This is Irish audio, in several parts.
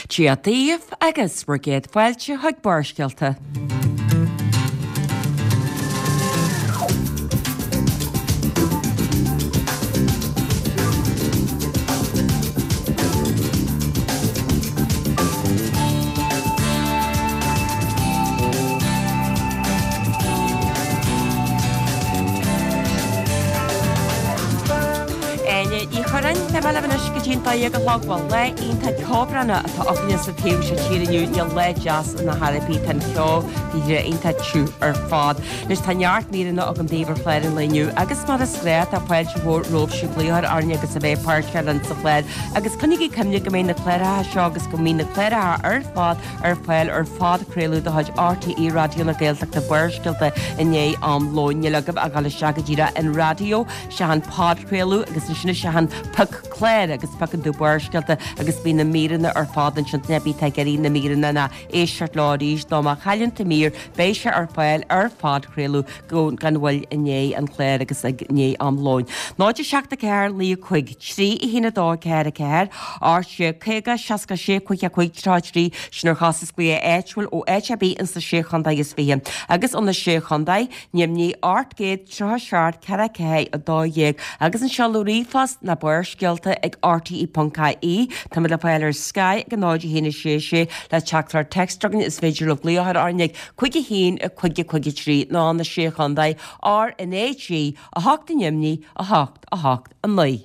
Dia daoibh agus bhur gcéad fáilte chuig Barrscéalta. Áine Ní Churráin, beidh mé libh anois go dtí an 12 a chlog. Bhuel, lá iontach ceobhránach atá againne sa taobh seo tíre inniu. Níl lá deas in aon chor ar bith, tá an ceo go iontach tiubh ar fad. Anois tá neart míreanna agam daoibh ar chlár an lae inniu agus mar is gnáth tá fáilte mhór romhaibhse glaoch orainn agus a bheith páirteach linn sa chlár agus coinnígí cuimhne go mbeidh na cláracha seo agus go mbíonn na cláracha ar fad ar fáil ar phodchraoladh de chuid RTÉ Raidió na Gaeltachta Barrscéalta i ndiaidh am lóin. Níl agaibh ach dul isteach go díreach an raidió, isteach an podchraoladh agus ansin isteach an pioc clár agus piocann tú Barrscéalta agus bíonn na míreanna ar fad ansin duine ar bith atá ag iarraidh na míreanna ná éisteacht leo arís nó má chailleann tú mír beidh sé ar fáil ar phodchraoladh go gan mhoill i ndiaidh an chláir agus i ndiaidh am lóin. 0 7 4 9 5 3 1 2 4 4 8 6 50 66 55 33 Sin ar chostas glaoch áitiúil ó áit ar bith ins na Sé Chontae is 20 agus ó na Sé Chontae, Nimhní 837 4 4 12 agus an seoladh ríomhphost ná barrscéalta ag rte.ie. Táimid le fáil ar Sky ag 0 1 6 6 le teachtaireacht text chugainn is féidir libh glaoch orainn ag 5 1 5 5 3 nó na Sé Chontae RnaG 8 i nDoimní 8 8 9.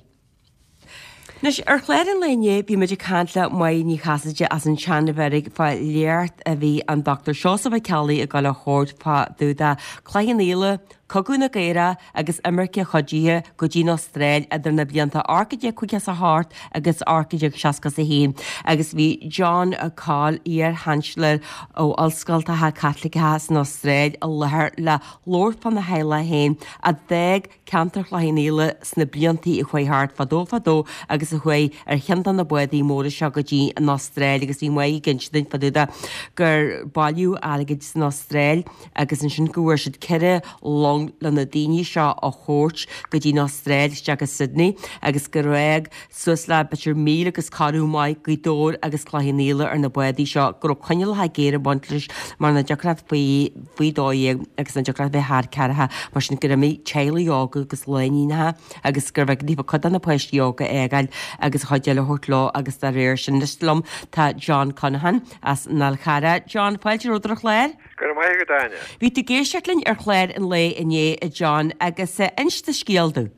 Anois, ar chlár an lae inné, bhí muid ag caint le Máire Ní Chasaide as an tSeanbheairic fá léacht a bhí an Dr Seosamh Ó Ceallaigh ag dul a thabhairt fá dtaobh de Cloich Cheann Fhaola, Cogadh na gCaorach agus imirce chuidithe go dtí an Astráil idir na blianta 1858 agus 1861 agus bhí John Coll, iar-Sheansailéir ó Ollscoltacha Caitliceacha san Astráil i láthair le labhairt fána theaghlach féin a d'fhág ceantar Chloich Cheann Fhaola sna bliantaí a chuaigh thart fadó fadó agus a chuaigh ar cheann de na bádaí móra seo go dtí an Astráil agus bhí Máire ag inse duinn fá dtaobh de gur bailíodh airgead san Astráil agus ansin go bhfuair siad 4 long le na daoine seo a thabhairt go dtí an Astráil isteach go Sydney agus gur fhág suas le b'fhéidir míle agus corradh maith Gaoth Dobhair agus Cloich Cheann Fhaola ar na bádaí seo, go raibh coinníollacha géara ag baint leis mar nach dtiocfadh leat faoi faoi 12 agus nach dtiocfadh leat bheith thar ceathracha, mar sin gur imigh teaghlaigh óga agus lánúineacha agus gurbh éigean daofa cuid de na páistí óga a fhágáil agus an chuid eile a thabhairt leo agus dá réir sin. Anois liom tá John Conaghan as an Fhál Charrach. John, fáilte romhat ar an chlár. Go raibh maith agat, Áine. Bhí tú ag éisteacht linn ar chlár an lae inné, a John, agus inis do scéal domh.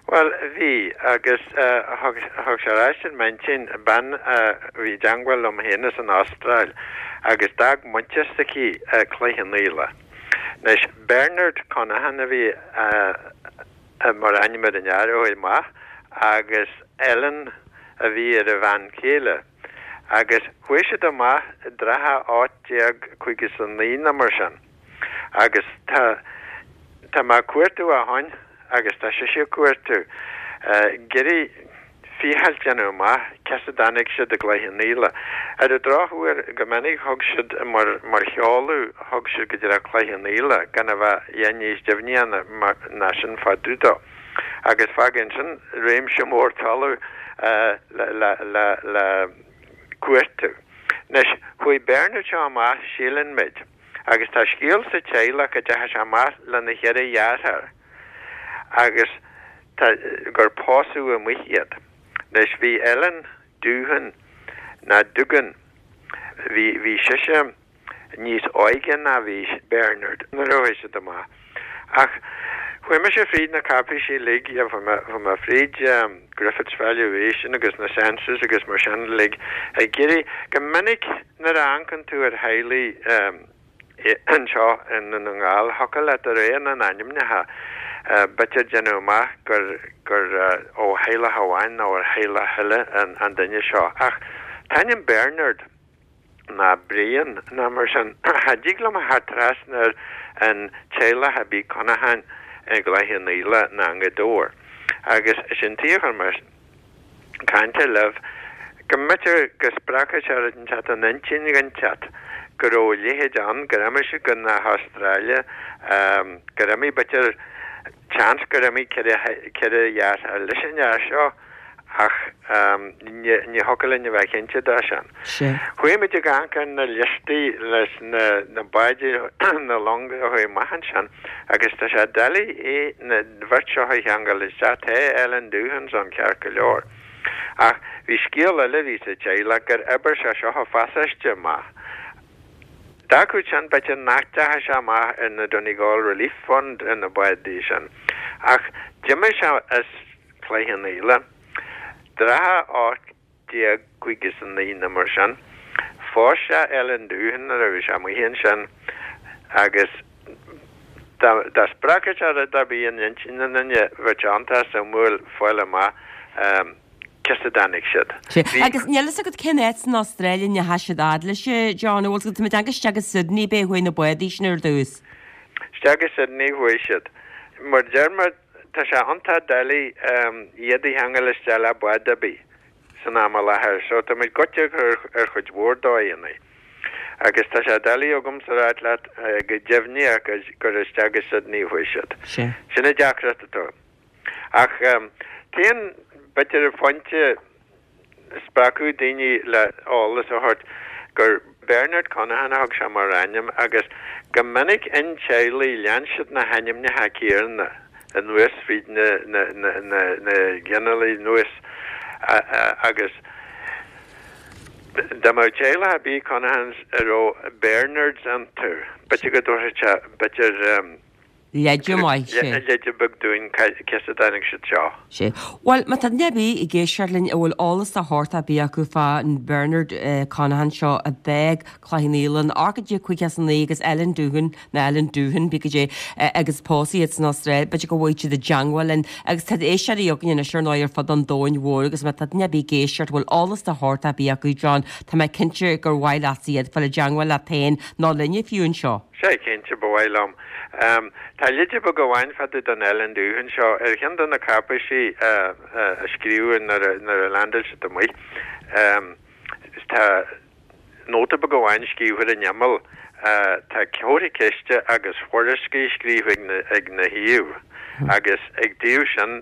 Bhuel, bhí, agus thug sé ar ais im intinn bean a bhí i dteangmháil liom féin as an Astráil agus d'fhág muintir s'aici Cloich Cheann Fhaola. Anois, Bernard Conaghan a bhí mar ainm ar an fhear a chuaigh amach agus Ellen a bhí ar a bhean chéile. Agus chuaigh siad amach i dtrátha 1859 nó mar sin. Agus tá, tá mé ag cuartú ó shoin agus tá sise ag cuartú, ag iarraidh ficheall déanamh amach cé as a dtáinig siad i gCloich Cheann Fhaola. Ar an drochuair, go minic thug siad mar, mar sheoladh, thug siad go díreach Cloich Cheann Fhaola, gan a bheith a dhath níos deimhní ná sin fá dtaobh dó. Agus fágann sin réimse mór talaimh le, le, le, le cuartú. Anois, chuaigh Bernard seo amach, síleann muid, Agus tá scéal sa teaghlach go dteachaidh sé amach lena cheithre dheartháir agus tá gur pósadh amuigh iad. Anois bhí Ellen Doohan ná Dugan, bhí bhí sise níos óige ná bhí Bernard nuair a chuaigh siad amach. Ach chuaigh mise fríd na cáipéisí uilig, yeah, chuaigh mé fríd Griffith's Valuation agus na Census agus mar sin uilig ag iarraidh, go minic nuair a amharcann tú ar theaghlaigh anseo i nDún na nGall, thiocfadh leat de réir na n-ainmneacha b'fhéidir déanamh amach gur gur ó theaghlach amháin nó ó theaghlach eile an duine seo. Ach an t-ainm Bernard ná Brian ná mar sin, cha dtig liom a theacht trasna ar an teaghlach ar bith Conaghan i gCloich Cheann Fhaola ná i nGaoth Dobhair. Agus sin tuige a chuir mé cainte libh, go mb'fhéidir go spreagfadh sé rud inteacht in intinn dh'inteacht go raibh a leithéid ann, gur imigh siad go na hAstráile, gur imigh b'fhéidir, seans gur imigh 4 dheartháir leis an fhear seo. Ach ní thiocfadh linn a bheith cinnte de sin. Chuaigh muid ag amharc ar na liostaí leis na báid, na longa a chuaigh amach ansin agus tá sé doiligh é na bheirt seo a cheangal isteach. Tá Ellen Doohans ann ceart go leor. Ach bhí scéal eile a bhí sa teaghlach gur oibir sé seo a phasáiste amach. D'fhágfadh sin b'fhéidir nach dteachaigh sé amach ar na Donegal Relief Fund ar na bádaí sin. Ach d'imigh sé as Cloich Cheann Fhaola, trátha 1859 nó mar sin. Phós sé Ellen Doohan nuair a bhí sé amuigh ansin agus dá spreagfadh sé rud ar bith in intinn an duine, bheadh sé iontach suimiúil fáil amach cé as a dtáinig siad. Sea, agus níl fhios agat cén áit san Astráil a ndeachaigh siad fhad leis, John, an bhfuil fhios agat, tá mé ag déanamh isteach go Sydney, b'é a chuaigh na bádaí sin ar dtús. Isteach go Sydney a chuaigh siad. Mar deir mé, Tá sé iontach doiligh iad a cheangal isteach le bád ar bith san am i láthair so tá muid goite ar chuid mhór dóigheanna. Agus tá sé doiligh agamsa a ráit leat go deimhneach gur isteach go Sydney a chuaigh siad. Sin an deacracht atá. Ach t-aon b'fhéidir phointe spreagfadh daoine le eolas a thabhairt gur Bernard Conaghan a thug sé mar ainm agus go minic in teaghlaigh lean siad na hainmneacha céanna anuas fríd na ginealaigh anuas agus dá mbeadh teaghlach ar bith Conaghans a raibh Bernards iontu b'fhéidir go dtabharfadh sé b'fhéidir Leide maith, sea. Leide beag dúinn cé as a dtáinig siad seo. Sea. Bhuel, má tá duine ar bith ag éisteacht linn a bhfuil eolas de shórt ar bith acu fán Bernard Conaghan seo a d'fhág Cloich Cheann Fhaola in 1859 agus Ellen Doohan, nó Ellen Doohan, pé goidé, agus pósadh iad san Astráil, b'fhéidir go bhfaighidh siad i dteangmháil linn. Agus tá éisteoirí againn anois ar ndóigh ar fud an domhain mhóir agus má tá duine ar bith ag éisteacht a bhfuil eolas de shórt ar bith acu, John, tá mé cinnte gur mhaith leatsa iad fáil i dteangmháil leat féin nó linne fiú anseo. Sea, cinnte, ba mhaith liom. Tá leide beag amháin fá dtaobh den Ellen Doohan seo ar cheann de na cáipéisí a scríobhadh nuair a leaindeáil siad amuigh. Tá nóta beag amháin scríofa ar an imeall. Tá comhartha ceiste agus Whoriskey scríofa ag na thaobh agus ag taobh sin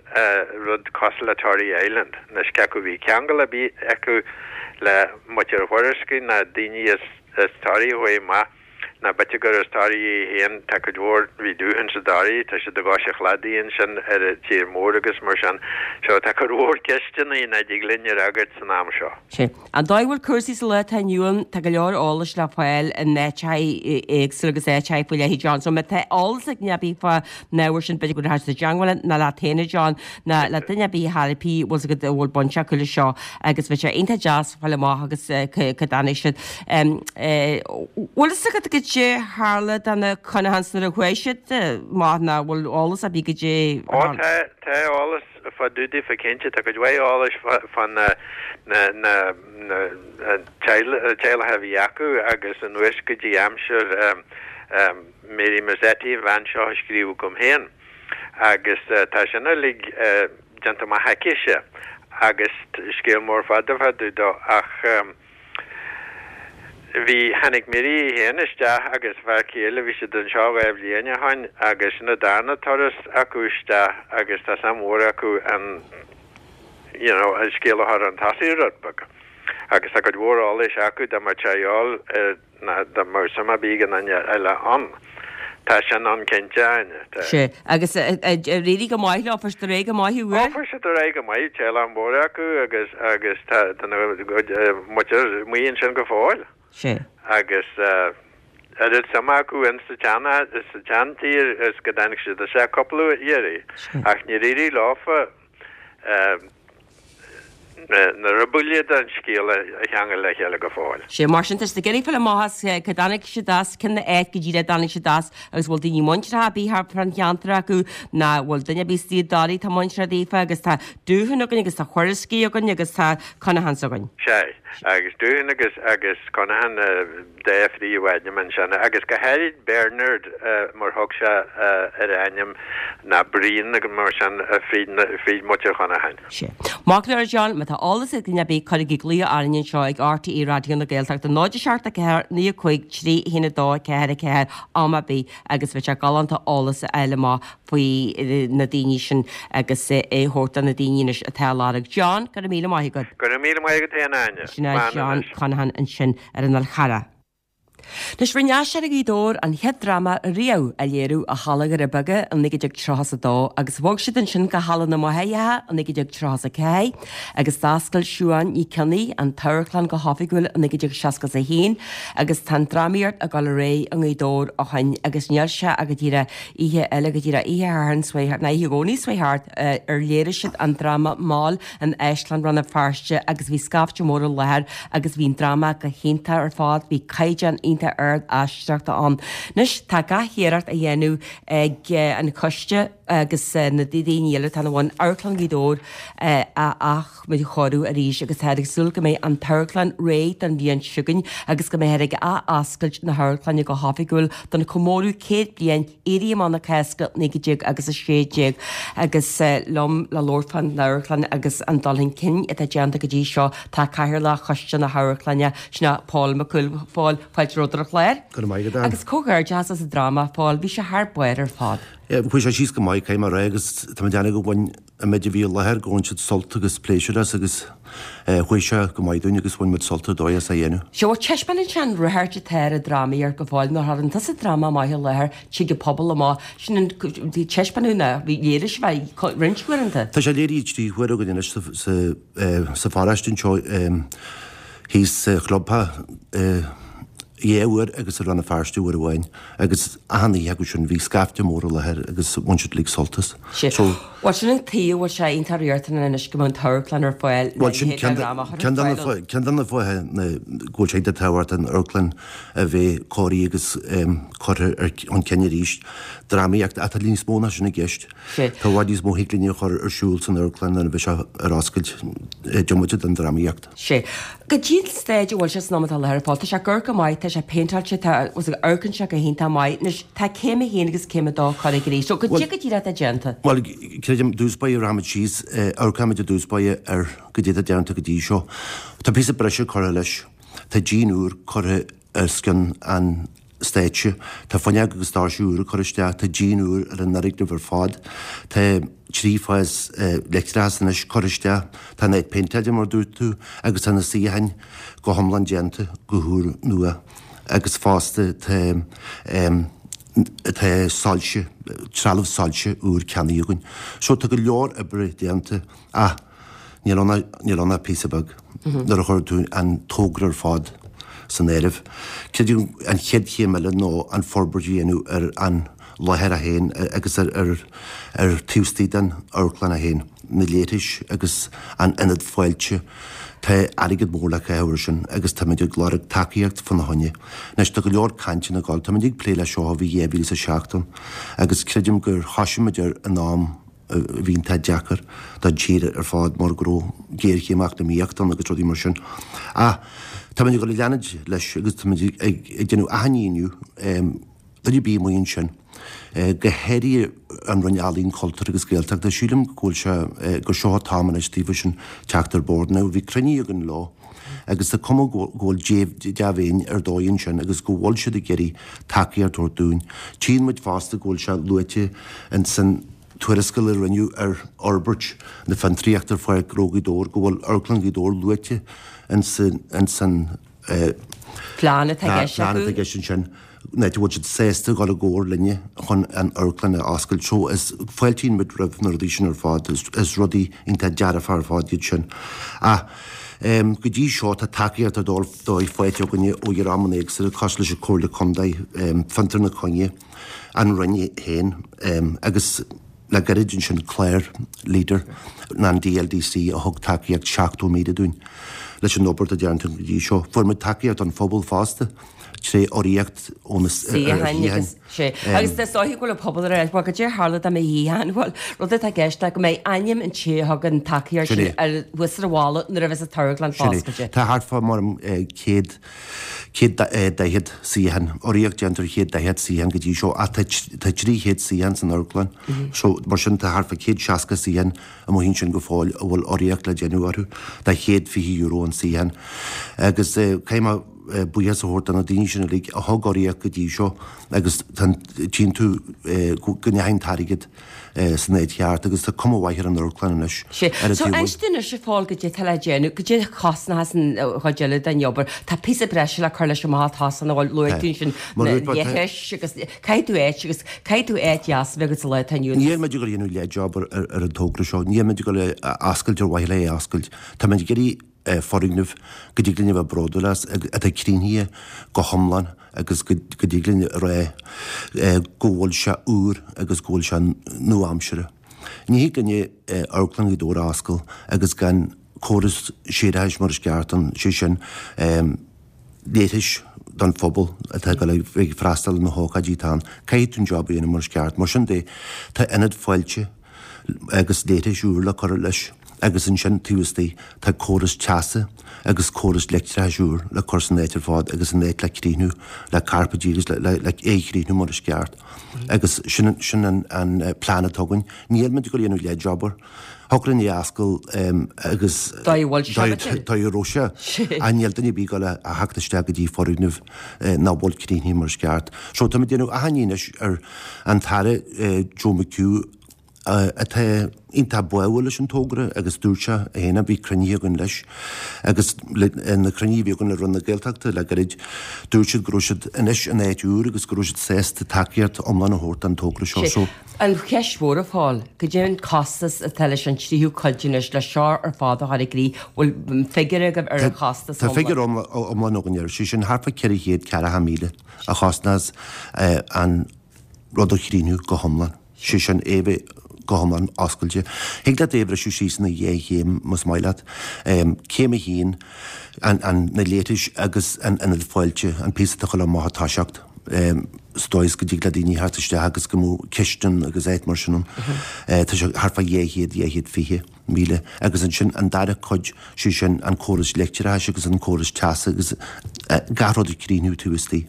rud cosúil le Tory Island. Anois cé acu bhí ceangal ar bith acu le muintir Whoriskey ná daoine as Toraigh a chuaigh amach. Nó b'fhéidir gur as Toraigh í féin, tá cuid mhór, bhí Doohans i dToraigh, tá siad i gcois an chladaigh ansin ar an tír mór agus mar sin. So tá cuid mhór ceisteanna nach dtig linn a fhreagairt san am seo. Sea. An dóigh a bhfuil cúrsaí sa lá atá inniu ann, tá go leor eolais le fáil in áiteacha éagsúla agus áiteacha faoi leith, John. So má tá eolas ag duine ar bith fán ábhar sin, b'fhéidir go rachadh siad i dteangmháil linn, nó leat féin, a John, nó le duine ar bith ar chor ar bith a bhfuil 's agat a bhfuil baint acu leis seo agus bheadh sé iontach deas fáil amach agus cá dtáinig siad. Bhfuil fhios agat goidé tharla do na Conaghans nuair a chuaigh siad amach nó bhfuil eolas ar bith goidé Ó tá, tá eolas fá dtaobh daofa cinnte, tá cuid mhaith eolais fá na, na, na, na teaghlach a bhí acu agus anuas go dtí aimsir Mary Mazzetti, an bhean seo a scríobh agam féin. Agus tá sin uilig déanta amach aicise agus scéal mór fada fá dtaobh dó ach bhí, tháinig Mary í féin isteach agus a fear céile, bhí siad anseo 2 bhliain ó shoin agus sin an darna turas acu isteach agus tá suim mhór acu an you know an scéal a chur chun tosaigh rud beag agus tá cuid mhór eolais acu dá mbeadh sé a dhíobháil ar Ná dá mbeadh suim ar bith ag aon duine eile ann. Tá sin ann cinnte, a Áine. Tá. Sea. Agus ar éirigh go maith leo, fuair siad ar aghaidh go maith, Ó, fuair siad ar aghaidh go maith, teaghlach mór acu agus, agus tá, tá na, muintir amuigh ansin go fóill. Sea. Agus oiread suime acu in sa tsean, sa tseantír is go dtáinig siad isteach cúpla iarraidh. Sea. Ach níor éirigh leofa. na rubaill den scéal a cheangal le chéile go fóill. Sea, mar sin, tá siad ag iarraidh fáil amach as cá dtáinig siad as, cén áit go díreach a dtáinig siad as agus bhfuil daoine muinteartha ar bith thart fán cheantar acu ná bhfuil duine ar bith istigh i dToraigh atá muinteartha daofa agus tá Doohan againn agus tá Whoriskey againn agus tá Conaghans againn. Sea. Agus Doohan agus agus Conaghan dá phríomhainm ansin agus go háirid Bernard mar thug sé ar a ainm ná Brian agus mar sin fríd fríd muintir Chonacháin. Sea. Maith go leor a John, má tá eolas ag duine ar bith cuirigí glaoch orainn anseo ag RTÉ Raidió na Gaeltachta 0 7 4 9 5 3 1 2 4 4 am ar bith agus bheadh sé galánta eolas a fháil amach faoi na daoine sin agus é a thabhairt do na daoine anois atá á lorg. John, go raibh míle maith agat. Go raibh míle maith agat féin, a Áine. Sin é John Conaghan ansin ar an Fhál Charrach. Anois, rinne Aisteoirí Ghaoth Dobhair an chéad dráma riamh a léiriú i Halla Dhoirí Beaga i 1932 agus bhog siad ansin go Halla na Máithreacha i 1934 agus d'oscail Siubhán Ní Cionnaith an t-amharclann go hoifigiúil i 1961 agus tá an drámaíocht ag dul ar aghaidh i nGaoth Dobhair ó shin agus níl sé ach go díreach oíche eile go díreach oíche Shathairn seo ná oíche Dhomhnaigh seo thart ar léirigh siad an dráma Moll in Áislann Rann na Feirste agus bhí scaifte mór i láthair agus bhí an dráma go hiontach ar fad, bhí caighdeán iontach ard aisteoireachta ann. Anois tá gach iarracht á dhéanamh ag an choiste agus na daoine eile atá ina bhun Amharclann Ghaoth Dobhair a athchóiriú arís agus táthar ag súil go mbeidh an t-amharclann réidh don bhliain seo chugainn agus go mbeifear ag ath-oscailt na hamharclainne go hoifigiúil don chomóradh 100 bliain Éirí Amach na Cásca 19 agus 16 agus liom le labhairt fán amharclann agus an dul chun cinn atá déanta go dtí seo tá Cathaoirleach Choiste na hAmharclainne, sin é Pól Mac Cumhaill. A Phóil, fáilte romhat ar an chlár. Go raibh maith agat, Ann. Agus comhghairdeachas as an dráma, a Phóil, bhí sé thar barr ar fad. Chuaigh sé síos go maith, caithfidh mé a rá, agus tá mé ag déanamh go bhain an méid a bhí i láthair, go bhain siad sult agus pléisiúr as agus chuaigh sé go maith dúinn agus bhain muid sult ar dóigh as a dhéanamh. Sea, bhuel taispeánann sé an ráchairt atá ar an drámaíocht go fóill, nuair a chuireann tusa dráma maith i láthair, tig an pobal amach, sin an taispeánadh ná bhí léirigh sibh é roinnt uaireanta. Tá sé léirithe trí huaire againn anois sa pharóiste anseo thíos sa chlubtheach dhá uair agus i Rann na Feirste uair amháin agus achan oíche acu sin bhí scaifte mór i láthair agus bhain siad uilig sult as. So. Bhuel sin an tuige a bhfuil sé iontach riachtanach anois go mbeadh an t-amharclann ar fáil le Bhuel sin ceann de ceann de na fáthanna go bhfuil sé iontach tábhachtach an amharclann a bheith cóirithe agus curtha ar chun cinn arís. Drámaíocht ach tá níos mó ná sin i gceist. Tá i bhfad níos mó thig linn a chur ar siúl san amharclann nuair a bheidh sé ar oscailt diomaite den drámaíocht. Sea. Goidé an staid a bhfuil sé san am atá i láthair a Phóil. Tá sé ag amharc go maith, tá sé péinteáilte, tá, amharcann sé go hiontach maith. Anois, tá céim a haon agus céim a dó curtha i gcrích. So, goidé go díreach atá déanta. Bhuel, creidim, i dtús báire, rachaimid síos, amharcfaimid i dtús báire ar goidé atá déanta go dtí seo. Tá píosa breise curtha leis. Tá díon úr curtha os cionn an stáitse. Tá fuinneog agus doirse úra curtha isteach, tá díon úr ar an fhoirgneamh ar fad, tá trifás leictreachas anois curtha isteach, tá an áit péinteáilte mar a dúirt tú agus tá na suíocháin go hiomlán déanta go húr nua agus fosta tá tá soilse, trealamh soilse úr ceannaithe againn. So tá go leor oibre déanta ach Níl ann ach, níl ann ach píosa beag nuair a chuireann tú an togra ar fad san áireamh. Creidim an chéad chéim eile ná an forbairt a dhéanamh ar an láthair é féin agus ar, ar, ar taobh istigh den amharclann é féin, na leithris agus an ionad fáilte. Tá airgead mór le caitheamh air sin agus táimid ag lorg tacaíocht fána choinne. Anois tá go leor cainteanna ag dul, táimid ag plé leis seo ó bhí 2007 ann agus creidim gur thosaigh muid air in am a bhí iontach deacair don tír ar fad mar go raibh géarchéim eacnamaíochta ann agus rudaí mar sin. Ach táimid ag dul ag leanúint leis agus táimid ag déanamh achainí inniu, duine ar bith amuigh ansin, go háirithe an Roinn Ealaíon, Cultúir agus Gaeltachta, sílim go bhfuil sé, gur seo an t-am anois daofa sin teacht ar bord. Now bhí cruinnithe againn leo agus tá cuma go bhfuil dea-mhéin ar dóigh ansin agus go bhfuil siad ag iarraidh tacaíocht a thabhairt dúinn. Tchíonn muid fosta go bhfuil sé luaite in san tuarascáil a rinneadh ar fhorbairt na fiontraíochta ar Pháirc Ghnó Ghaoth Dobhair go bhfuil Amharclann Ghaoth Dobhair luaite in san Plean atá i gceist plean atá i gceist ansin, an áit a bhfuil siad sásta a dhul i gcomhar linne chun an amharclann a oscailt. So is fáiltíonn muid roimh na rudaí sin ar fad, is rudaí iontach dearfa ar fad iad sin. Ach go dtí seo tá tacaíocht ar dóigh faighte againne ó dhreamanna éagsúla cosúil leis an Comhairle Contae, Fiontar na Coinne, an Roinn féin agus le gairid ansin clár Leader an DLDC a thug tacaíocht 70,000 dúinn. leis an obair atá déanta go dtí seo. Fuair muid tacaíocht ón phobal fosta tré urraíocht ó na suíocháin agus sé. Agus is dóiche go bhfuil an pobal ar bhuel goidé a tharla dá mbeidh shuíocháin bhuel rud atá i gceist ná go mbeidh ainm an té a thug an tacaíocht sin ar thuas ar an bhalla nuair a bheas an t-amharclann foscailte. Tá thart fá mar 100 140 suíochán, urraíocht déanta ar 140 suíochán go dtí seo ach tá 300 suíochán san amharclann so mar sin tá thart fá 160 suíochán amuigh ansin go fóill a bhfuil urraíocht le déanamh orthu do €120 an suíochán. Agus caithfidh mé buíochas a thabhairt do na daoine sin uilig a thug urraíocht go dtí seo agus tchíonn tú go ndeachaigh an t-airgead san áit cheart agus tá cuma mhaith ar an amharclann anois. Sea. So inis dúinn anois a Phóil goidé atá le déanamh, goidé a chosnóchas an chuid eile den obair. Tá píosa breise le cur leis amach atá san a bhfuil luaigh tú ansin na leithris agus caithfidh tú áit agus caithfidh tú áit dheas a bheith agat sa lá atá inniu ann. Níl muid ag dul a dhéanamh leath-job ar an togra seo, níl muid ag dul a oscailt ar mhaithe le é a oscailt. Tá muid ag iarraidh foirgneamh go dtig linn a bheith bródúil as, atá críochnaithe go hiomlán agus go dtig linn a rá go bhfuil sé úr agus go bhfuil sé nua-aimseartha. Ní thig linn Amharclann Ghaoth Dobhair a oscailt agus gan córas séarachais mar is ceart ann, sé sin, leithris don phobal atá ag dul ag freastal ar na hócáidí atá ann. Caithfidh tú an job a dhéanamh mar is ceart. Mar sin de, tá ionad fáilte agus leithris úr le cur leis agus ansin taobh istigh tá córas teasa agus córas leictreachais úr le cur san áit ar fad agus an áit le críochnú le cairpéidí agus le é a chríochnú mar is ceart. Agus sin sin an plean atá againn. Níl muid ag dul a dhéanamh leath-job air. Thiocfadh linn é a oscailt agus dóigh a raibh sé ach níl duine ar bith ag dul a theacht isteach go dtí foirgneamh nach bhfuil críochnaithe mar is ceart. So táimid ag déanamh achainí anois ar an tAire Joe McHugh atá iontach báúil leis an togra agus dúirt sé féin, bhí cruinnithe againn leis agus na cruinnithe a bhí againn le Roinn na Gaeltachta le gairid, dúirt siad go raibh siad anois in áit úr agus go raibh siad sásta tacaíocht iomlán a thabhairt don togra seo. So. An cheist mhór a Phóil, goidé an costas atá leis an tríú cuid anois, le seo ar fad a chur i gcrích, bhfuil figiúr agaibh ar an chostas iomlán? Tá figiúr iomlán againn air, sé sin thart fá 440,000 a chosnós an rud a chríochnú go hiomlán, sé sin é bheith go hiomlán oscailte. Thig leat é a bhriseadh síos ina dhá chéim más maith leat. Céim a haon, na leithris agus an ionad fáilte, an píosa atá ag dul amach ag toiseacht. sa dóigh is go dtig le daoine theacht isteach agus go mbeadh cistin agus áit mar sin ann. Tá sé thart fá 200, 220,000 agus ansin an dara cuid, sé sin an córas leictreachais agus an córas teasa agus gach rud a chríochnú taobh istigh.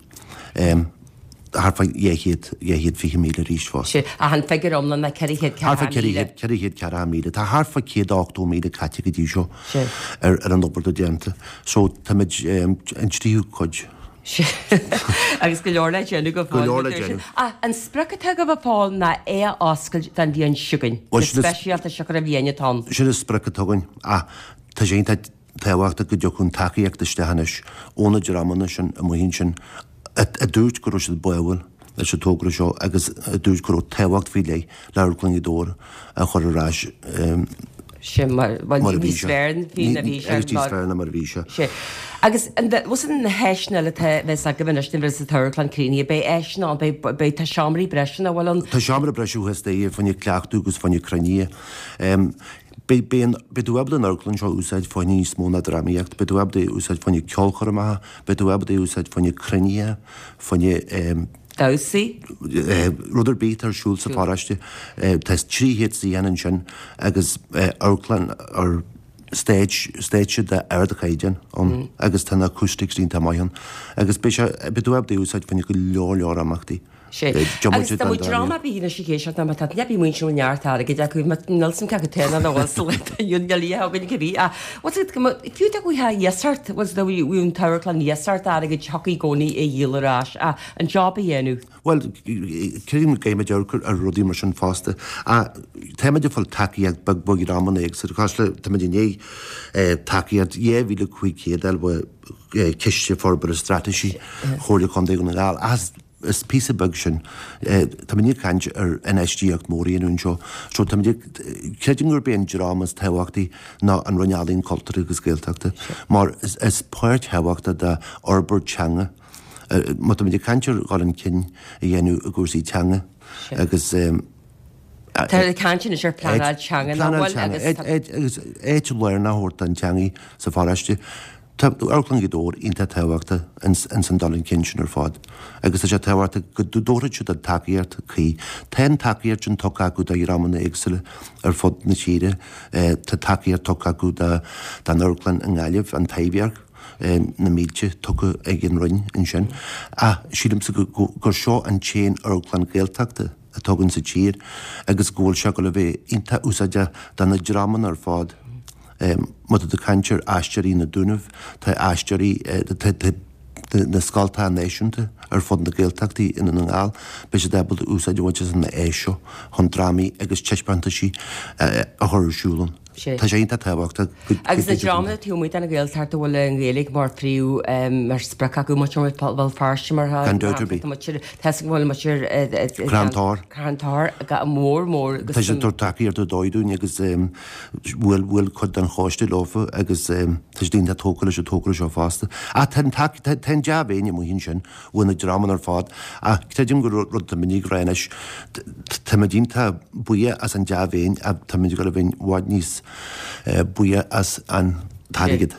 Thart fá 200, 220,000 arís fosta. Sé, ach an figiúr iomlán ná 440,000. Thart fá 440,000. Tá thart fá 180,000 caite go dtí seo ar an obair atá déanta. So táimid an tríú cuid. Agus go leor le déanamh go fóill. Go leor le déanamh. Ach an sprioc atá agaibh a Phóil ná é a oscailt don bhliain seo chugainn. Go speisialta siocair an bhliain atá ann. Sin an sprioc atá againn. Ach tá sé iontach tábhachtach go dtiocfadh an tacaíocht isteach anois ó na dreamanna sin amuigh ansin a dúirt go raibh siad báúil leis an togra seo agus a dúirt go raibh tábhacht faoi leith le Amharclann Ghaoth Dobhair a chur ar ais Sin mar, bhuel, mar a bhí sé. Níos fearr ná bhí sé. Agus níos fearr ná mar a bhí sé. Sea. Agus an bhfuil na háiseanna eile atá bheas agaibh anois nuair a bheas an t-amharclann críochnaithe, beidh áiseanna ann, beidh, beidh, tá seomraí breise nach bhfuil ann? Tá seomra breise thuas staighre fá choinne cleachtadh agus fá choinne cruinnithe. Beidh, beidh an, beidh tú ábalta an amharclann seo a úsáid fá choinne níos mó ná drámaíocht, beidh tú ábalta é a úsáid fá choinne ceolchoirmeacha, beidh tú ábalta é a úsáid fá choinne cruinnithe, fá choinne. Damhsaí. Rud ar bith atá ar siúl sa pharóiste. Tá 300 suíochán ansin agus amharclann or stage, stáitse d'ardchaighdeán ann agus tá na acoustics iontach maith ann agus beidh sé, beidh tú ábalta é a úsáid fá choinne go leor leor imeachtaí. Sea. Agus dá mbeadh dream ar bith anois ag éisteacht má tá duine ar bith amuigh ansin a bhfuil neart airgid acu, má níl a fhios agam cé acu atá ann nó bhfuil sa lá atá inniu ann, níl a fhios againn cibé ach bhfuil a fhios agat, fiú dá bhfuil iasacht, bhfuil a fhios agat, bhí an t-amharclann iasacht airgid thiocfadh i gcónaí é a dhíol ar ais ach an job a dhéanamh. Bhuel, creidim go gcaithfimid amharc ar rudaí mar sin fosta. Ach táimid ag fáil tacaíocht beag beag in amanna éagsúla. Cosúil le, táimid i ndiaidh tacaíocht 2,500 a fháil ó Chiste Forbartha Straitéisí Chomhairle Contae Dhún na nGall. Ach is píosa beag sin. Táimid ag caint ar infheistíocht mhór a dhéanamh anseo. So táimid ag, creidim gurb é an dream is tábhachtaí ná an Roinn Ealaíon, Cultúir agus Gaeltachta mar is páirt thábhachtach de fhorbairt teanga Má táimid ag caint ar dhul chun cinn a dhéanamh i gcúrsaí teanga agus. Tá caint anois ar phleanáil teanga nach bhfuil agus agus áit lárnach a thabhairt don teangaidh sa pharóiste. Tá Amharclann Ghaoth Dobhair iontach tábhachtach ins an dul chun cinn sin ar fad agus tá sé tábhachtach go dtabharfaidh siad an tacaíocht cuí. Tá an tacaíocht sin tugtha acu do dhreamanna éagsúla ar fud na tíre. Tá tacaíocht tugtha acu don amharclann i nGaillimh, an Taibhdhearc, na mílte tugtha ag an Roinn ansin. Ach sílimse gur seo an t-aon amharclann Gaeltachta atá againn sa tír agus go bhfuil sé ag dul a bheith iontach úsáideach do na dreamanna ar fad. Má tá tú ag caint ar Aisteoirí na Dúnaibh, tá aisteoirí, tá na scoltacha náisiúnta ar fud na Gaeltachtaí i nDún na nGall, beidh siad ábalta úsáid a bhaint as an áis seo chun drámaí agus taispeántaisí a chur ar siúl ann. Tá sé iontach tábhachtach go Agus na dreamanna taobh amuigh den Ghaeltacht a bhfuil an Ghaeilge mar phríomh, mar sprioc acu, muintir Bhéal Feirste mar Gan dabht ar bith. Tá 'fhios agam go bhfuil muintir Crann Tor. Crann Tor go mór mór agus Tá siad ag tabhairt tacaíocht ar dóigh dúinn agus bhuail bhuail cuid den choiste leofa agus tá siad iontach tógtha leis an togra seo fosta. Ach tá an tac tá tá an dea-mhéin amuigh ansin uaidh na dreamanna ar fad ach creidim gur rud atá muid ag rá anois táimid iontach buíoch as an dea-mhéin ach táimid ag dul a bheith i bhfad níos buíoch as an t-airgead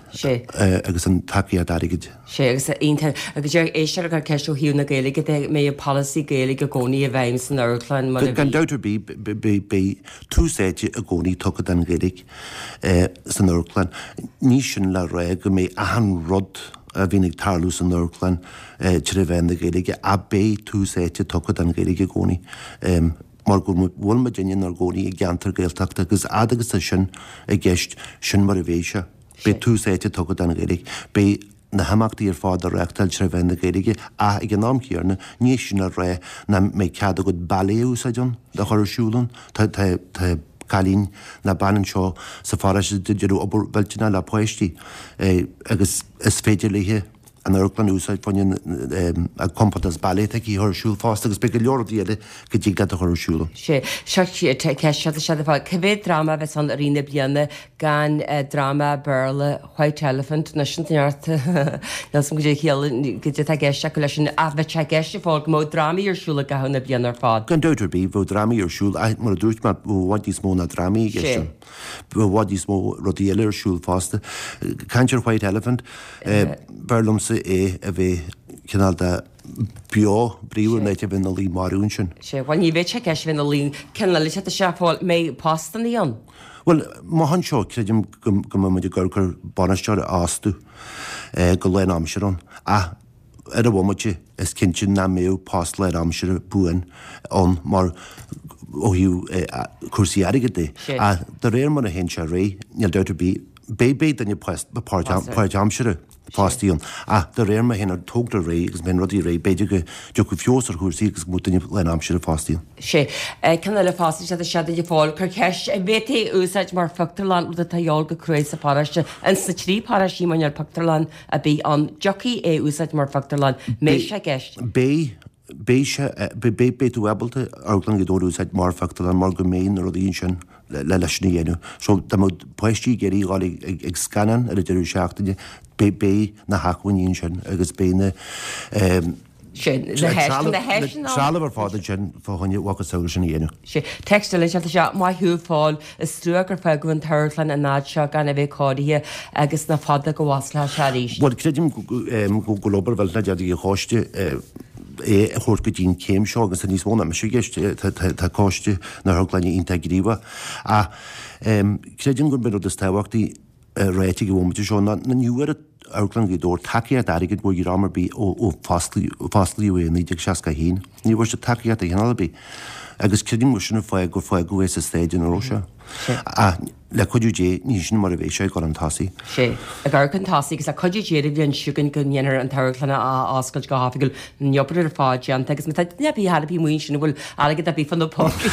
agus an tacaíocht airgid. Sea, agus iontach. Agus deir éisteoir ag cur ceist ó thaobh na Gaeilge de, an mbeidh polasaí Gaeilge i gcónaí i bhfeidhm san amharclann mar a bhí. Gan dabht ar bith, beidh tús áite i gcónaí tugtha don Ghaeilge san amharclann. Ní sin le rá go mbeidh achan rud a bhíonn ag tarlú san amharclann tré mheán na Gaeilge ach beidh tús áite tugtha don Ghaeilge i gcónaí mar go bhfuil muidinne inár gcónaí i gceantar Gaeltachta agus fhad agus tá sin i gceist, sin mar a bheidh sé. Beidh tús áite tugtha don Ghaeilge. Beidh na himeachtaí ar fad á reáchtáil tré mheán na Gaeilge ach ag an am chéanna ní hé sin le rá nach mbeidh cead agat ballet a úsáid ann, a chur ar siúl ann. Tá tá tá cailín nó bean anseo sa pharóiste ag déanamh obair mhillteanach le páistí agus is féidir léithe an amharclann a úsáid fá choinne a compántas ballet atá aici a chur ar siúl fosta agus beidh go leor rudaí eile go dtig leat a chur ar siúl. Sea, seo ceist seo seo fáil. Cé mhéad dráma a bheas ann i rith na bliana gan dráma Béarla White Elephant anois an neart níl 'fhios a'm goidé chiall goidé atá i gceist acu leis sin ach bheadh sé i gceist ag fáil go mbeadh drámaí ar siúl i gcaitheamh na bliana ar fad. Gan dabht ar bith, bheadh drámaí ar siúl ach mar a dúirt mé, bheadh i bhfad níos mó ná drámaí i gceist ann. Bheadh i bhfad níos mó rudaí eile ar siúl fosta. Caint ar White Elephant, b'fhearr liomsa é a bheith cineál de beo, bríomhar ná a bheith ina luí marbh ansin. Sea, bhuel ní bheadh sé i gceist a bheith ina luí, ceann eile tá sé fáil, mbeidh postannaí ann? Bhuel, amach anseo, creidim go mbeidh muid ag amharc ar bainisteoir a fhostú go lán-aimseartha ann. Ach ar an bhomaite, is cinnte nach mbeadh post lán-aimseartha buan ann mar ó thaobh cúrsaí airgid de. Ach de réir mar a théann sé ar aghaidh, níl dabht ar bith, beidh beidh duine páirtaimseartha fostaithe ann. Ach de réir mar a théann an togra ar aghaidh agus mar a théann rudaí ar aghaidh, b'fhéidir go dtiocfaidh feabhas ar chúrsaí agus go mbeadh duine lán-aimseartha fostaithe ann. Sea. Ceann eile fosta, sé sé duine fáil cur ceist, an bhféadfaí é úsáid mar phictiúrlann, rud atá a dhíobháil go cruaidh sa pharóiste, ins na trí paróistí mar níl pictiúrlann ar bith ann, dtiocfaí é úsáid mar phictiúrlann, mbeidh sé i gceist? Beidh, beidh sé, beidh, beidh tú ábalta Amharclann Ghaoth Dobhair a úsáid mar phictiúrlann mar go mbeidh na rudaí ansin le leis sin a dhéanamh. So dá mbeadh páistí ag iarraidh dhul ag, ag, ag scannán ar an deireadh seachtaine, beidh, beidh na hacmhainní ansin agus beidh na, eh, Sin, na háiseanna, na háiseanna. Trealamh ar fad ansin fá choinne mhacasamhail sin a dhéanamh. Sea, text eile anseo, tá sé, Maith thú a Phóil, is trua gur fágadh an t-amharclann an fhad seo gan a bheith cóirithe agus nach fada go bhfosclóidh sé arís. Bhuel, creidim go bhfuil obair mhillteanach déanta ag an choiste é a thabhairt go dtí an chéim seo agus tá níos mó ná mise i gceist, tá coiste na hamharclainne iontach gníomhach. Ach creidim gurb é an rud is tábhachtaí ráite ag an bhomaite seo ná ní bhfuair Amharclann Ghaoth Dobhair tacaíocht airgid ó dhream ar bith ó fosclaíodh é i 1961. Ní bhfuair siad tacaíocht de chineál ar bith. Agus creidim gur sin an fáth gur fágadh é sa staid ina raibh sé. Ach le cuidiú Dé, ní sin mar a bheidh sé ag dul chun tosaigh. Sea, ag amharc chun tosaigh agus le cuidiú Dé an bhliain seo chugainn go ndéanfar an t-amharclann a oscailt go hoifigiúil. An obair ar fad déanta agus má tá duine ar bith thar a bith amuigh ansin a bhfuil airgead ar bith fá na pócaí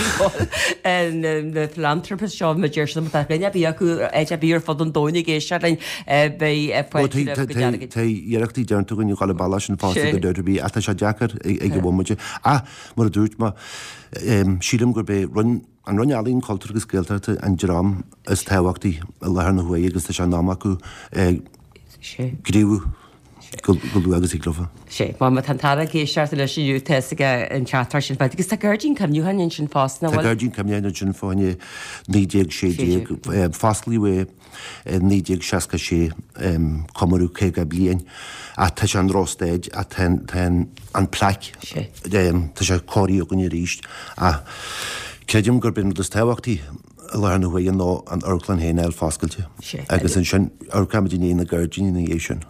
na philanthropists seo mar deir siad má tá duine ar bith acu áit ar bith ar fud an domhain ag éisteacht linn beidh fáilte roimh a gcuid airgid. Tá iarrachtaí déanta againn a dhul i bealach sin fosta gan dabht ar bith ach tá sé deacair ag an bhomaite. Ach mar a dúirt mé, sílim gurb é Roinn an Roinn Ealaíon, Cultúir agus Gaeltachta an dream is tábhachtaí i láthair na huaire agus tá sé in am acu gníomhú. Go luath agus thig leofa. Sea, má tá an tAire ag éisteacht anois inniu, tá fhios aige an teachtaireacht sin faighte. Agus tá gairdín cuimhneacháin ansin fosta, nach bhfuil? Tá gairdín cuimhneacháin ansin fá choinne 1916. Fosclaíodh é i 1966, comóradh 50 bliain. Ach tá sé i ndrochstaid, ach tá an plaic, tá sé cóirithe againn arís. Ach creidim gurb é an rud is tábhachtaí, i láthair na huaire ná an amharclann féin a fháil foscailte agus ansin amharcfaimid i ndiaidh na gairdíní ina dhiaidh sin.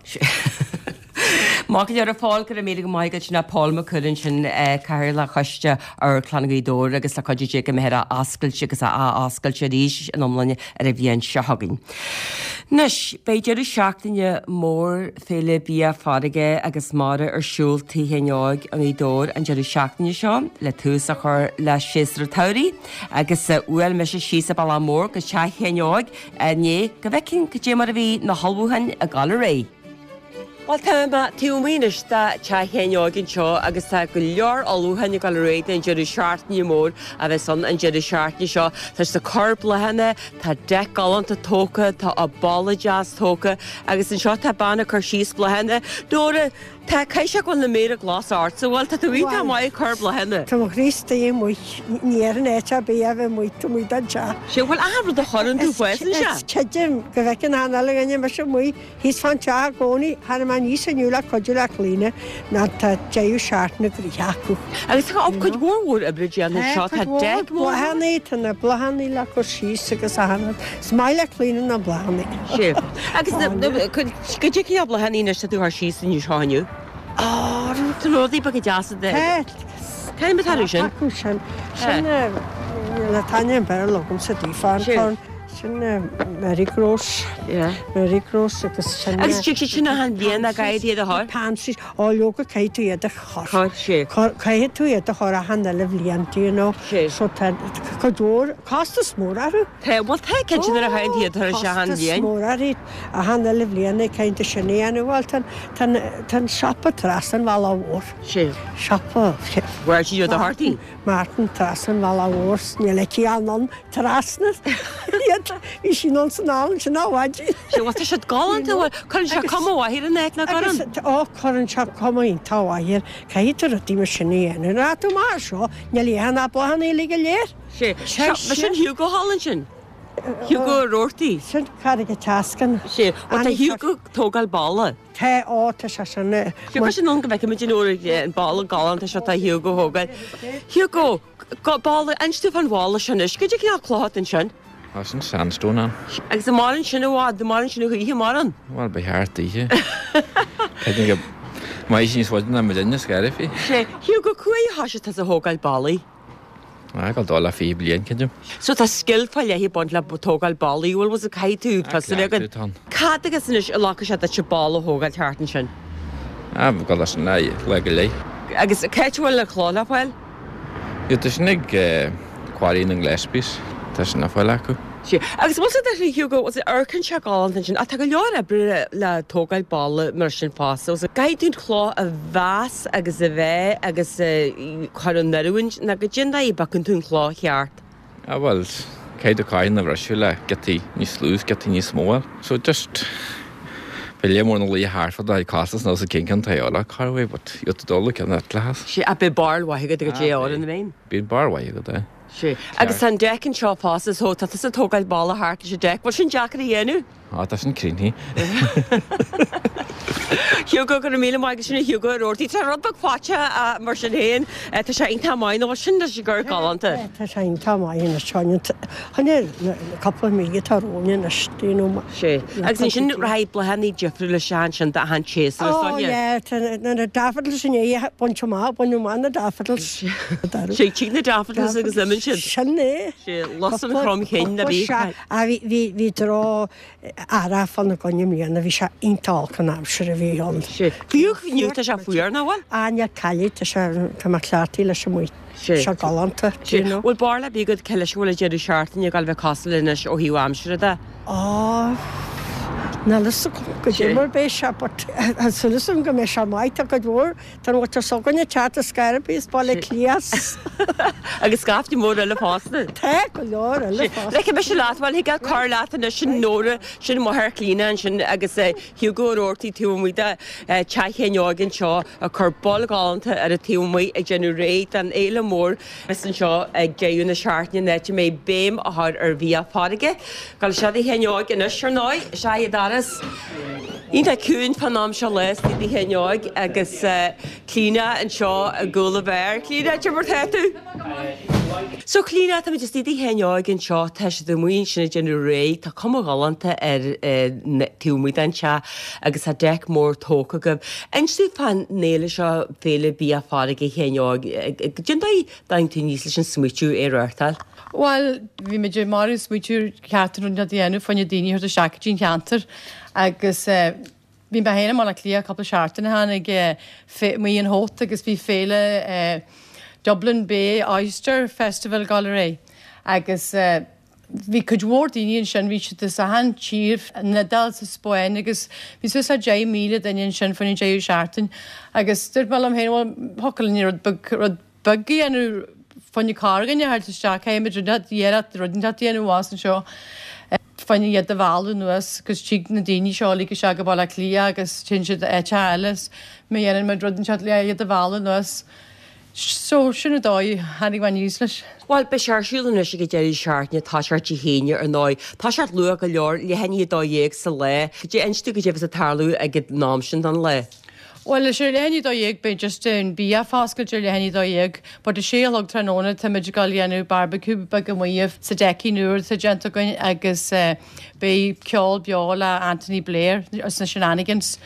Maith go leor a Phóil, go raibh míle go maith agat sin é Pól Mac Cumhaill ansin, Cathaoirleach Choiste Amharclann Ghaoth Dobhair agus le cuidiú Dé go mbeifear á oscailt agus á ath-oscailt arís in iomláine ar an bhliain seo chugainn. Anois, beidh deireadh seachtaine mór Féile Bia Farraige agus Mara ar siúl Tigh Sheáin Óig i nGaoth Dobhair an deireadh seachtaine seo le tús a chur le séasúr an tsamhraidh. Agus bhuail mise síos an bealach mór go teach Sheáin Óig inné go bhfeicfinn cad é mar a bhí na hullmhúcháin ag dul ar aghaidh. Bhuel, tá mé taobh amuigh anois de teach Sheáin Óig anseo agus tá go leor ullmhúcháin ag dul ar aghaidh don deireadh seachtaine mór a bheas ann an deireadh seachtaine seo. Tá siad ag cur bláthanna, tá deic galánta tógtha, tá an balla deas tógtha agus anseo tá bean ag cur síos bláthanna. Nóra, Tá, caithfidh sé go bhfuil na méara glasa ortsa, bhuel, tá tú iontach maith ag cur bláthanna. Tá mo chroí istigh amuigh, ní ar an áit ar bith a bheith amuigh, tá amuigh don teach. Sea, bhuel, achan rud a chuireann tú fásann sé. Is creidim go bhfeiceann achan uile dhuine mise amuigh thíos fán teach i gcónaí, tháinig mé aníos inniu le cuidiú le Clíona ná tá deireadh seachtaine gnoitheach acu. Agus tá cuid mhór mhór oibre déanta anseo, tá deic mór. Bláthanna, tá na bláthanna le cur síos agus achan rud. Is maith le Clíona na bláthanna. Sea, agus Cad é cineál bláthanna anois atá tú a chur síos anseo inniu? Á, tá rudaí beaga deasa de. Tá. Cén atá acu sin? Acu sin. Sin níl an t-ainm Béarla agamsa daofa. An Sin marigolds. Marigolds agus sin. Agus tig siad sin achan bhliain ag éirí iad a chur? Pansies. Ó leoga caithfidh tú iad a chur. Chur, sea. Caithfidh tú iad a chur achan uile bhliain, do you know. Sea. So tá cuid mhór, costas mór orthu. Tá, bhuel tá, cinnte nuair a chaitheann tú iad a chur isteach achan bhliain. Costas mór orthu achan uile bhliain ag caint de sin a dhéanamh. Bhuel tá, tá, tá an siopa trasna an bhealaigh mhór. Sea. Siopa. Where do you do Martin? Martin trasna an bhealaigh mhór, níl aici anonn trasna iad, bhí sí anonn san ann sin á mhaidin. Sea, bhuel tá siad galánta, bhuel cuireann sé cuma mhaith ar an áit nach gcuireann? Agus, ó cuireann sé cuma iontach mhaith air, caithfidh tú rudaí mar sin a dhéanamh. Nuair atá tú amach anseo, níl aon ach bláthanna uilig go léir. Sea, seo, sin Hugo thall ansin. Hugo Ó Roarty. Sin Carraig an tSeascann. Sea, bhuel tá Hugo ag tógáil balla. Tá, ó tá sé sin. Sea, sin ann go bhfeicfimid an uair an balla galánta seo tá Hugo a thógáil. Hugo, balla, inis domh fán bhalla seo anois, cad é cineál cloch atá ansin? Tá sin sandstone ann. Agus an maireann sin i bhfad, an maireann sin a choíche, maireann? Bhuel, ba cheart daoithe. Creidim go mbeidh sí níos faide ná mo dhuine, scairbhí. Sea, Hugo, cá huair a thoisigh tusa a thógáil ballaí? Ag dul le 20 bliain, creidim. So tá scil fá leith ag baint le tógáil ballaí, bhfuil bhfuil caithfidh tú fios a bheith agat. Tá ann. Cad agus anois a ghlacfaidh sé duit balla a thógáil thart ansin? Ah, bheadh dul leis an lá, lá go leith. Agus cá háit a bhfuil an chloch le fáil? Yo, tá sin ag Quarry na nGillespies, tá sin le fáil acu. Sea. Agus bhfuil sé de Hugo, bhfuil sé amharcann sé galánta ansin, ach tá go leor oibre le tógáil balla mar sin fosta. Bhfuil sé, caithfidh tú an chloch a mheas agus a mheá agus a chur in oiriúint nó cad é an dóigh a bpiocann tú an chloch cheart. Ah bhuel, caithfidh tú carn a bhriseadh le giotaí níos lú is giotaí níos mó a fháil. So just, bhí léar mór na laoithe thart fad a costas nó sa gcinn ceann tae eile, cá raibh é but you have to dul ceann eile as. Sea, ach beidh barr mhaith agat go dté orainn, an mbeidh? Bíonn barr mhaith agat, eh. Sea. Agus tá an deic anseo fosta so tá tusa ag tógáil balla thart leis an deic. Bhfuil sin deacair a dhéanamh? Á, tá sin cruinnithe. Hugo, go raibh míle maith agat sin é Hugo Ó Roarty. Tá rud beag faighte mar sin féin. Tá sé iontach maith nó sin tá sé gur galánta. Tá sé iontach maith anois. Choinne cúpla mí atá romhainn anois, do you know. Sea. Agus ansin rachaidh bláthanna difriúla isteach ansin d'achan tséasúr is dóiche. Oh yeah, tá na daffodils i ndiaidh baint amach, baineadh amach na daffodils. Sea, tig na daffodils agus imíonn siad. Sin é. Sea, lus an chromchinn a bhí. Ah, bhí, bhí, bhí droch-earrach fána gcoinne i mbliana, bhí sé iontach olc an aimsir a bhí ann. Sea. Fiú inniu tá sé fuar, nach bhfuil? Ah, níl cailleadh, tá sé, tá mé cleachtaithe leis amuigh. Sea. Tá sé galánta, do you know. Bhfuil barúil ar bith agat cé leis an bhfuil an deireadh seachtaine ag dul a bheith cosúil anois ó thaobh aimsire de? Á, Níl fhios agam goidé mar beidh sé but tá súil agam go mbeidh sé maith, tá cuid mhór den mhuintir s'againne ag teacht as scor ar bith as Baile Átha Cliath. Agus scaifte mór eile fosta. Tá go leor eile fosta. Ligfidh mise leat, bhuel thig leat cur leat anois sin Nóra, sin máthair Chlíona ansin agus Hugo Ó Roarty taobh amuigh de Teach Sheáin Óig anseo ag cur bolg ghalánta ar an taobh amuigh ag déanamh réidh don fhéile mór a bheas anseo ag deireadh na seachtaine an áit a mbeidh béim á chur ar bhia farraige. Gabh isteach i dTigh Sheáin Óig anois ar ndóigh, is é an doras iontach ciúin fán am seo lae istigh i dTigh Sheáin Óig agus Clíona anseo i gcúl an bheáir. Clíona, cad é mar tá tú? So Clíona, táimid istigh i dTigh Sheáin Óig anseo, tá siad amuigh ansin ag déanamh réidh, tá cuma ghalánta ar taobh amuigh den teach agus tá deic mór tógtha agaibh. Inis dúinn fán fhéile seo, Féile Bia Farraige Sheáin Óig, cén dóigh a dtáinig tú aníos leis an smaoitiú é a reáchtáil? Bhuel, bhí muid ag magadh smaoitiú ar cheart rud a dhéanamh fá choinne daoine a thabhairt isteach go dtí an cheantar agus eh, Bhí mé féin i mBaile Átha Cliath cúpla seachtain ó shin ag amuigh in Howth agus bhí féile Dublin Bay Oyster Festival ag dul ar aghaidh agus bhí cuid mhór daoine ansin, bhí siad as achan tír, an Iodáil, sa Spáinn agus bhí suas le 10,000 duine ansin faoin deireadh seachtain agus dúirt mé liom féin bhuel thiocfadh linn rud beag, rud beag a dhéanamh fá choinne corrdhuine a thabhairt isteach, caithfimid rud iarracht rud inteacht a dhéanamh as anseo. Fá choinne iad a mhealladh anuas agus tig na daoine seo uilig isteach go Baile Átha Cliath agus téann siad áiteacha eile is má dhéanann muid rud inteacht le iad a mhealladh anuas. So, sin an dóigh a tháinig mé aníos leis. Bhuel, beidh sé ar siúl anois ag an deireadh seachtaine, toiseacht Dé hAoine ar ndóigh. Toiseacht luath go leor, leath i ndiaidh 12 sa lá. Inis dúinn goidé a bheas ag tarlú ag an am sin den lá. Bhuel, is ar leath i ndiaidh 12 beidh just an bia foscailt ar leath i ndiaidh 12 but a sé a chlog tráthnóna táimid ag dul a dhéanamh barbecue beag amuigh sa deicín úr atá déanta againn agus beidh ceol beo le Anthony Blair as na Shenanigans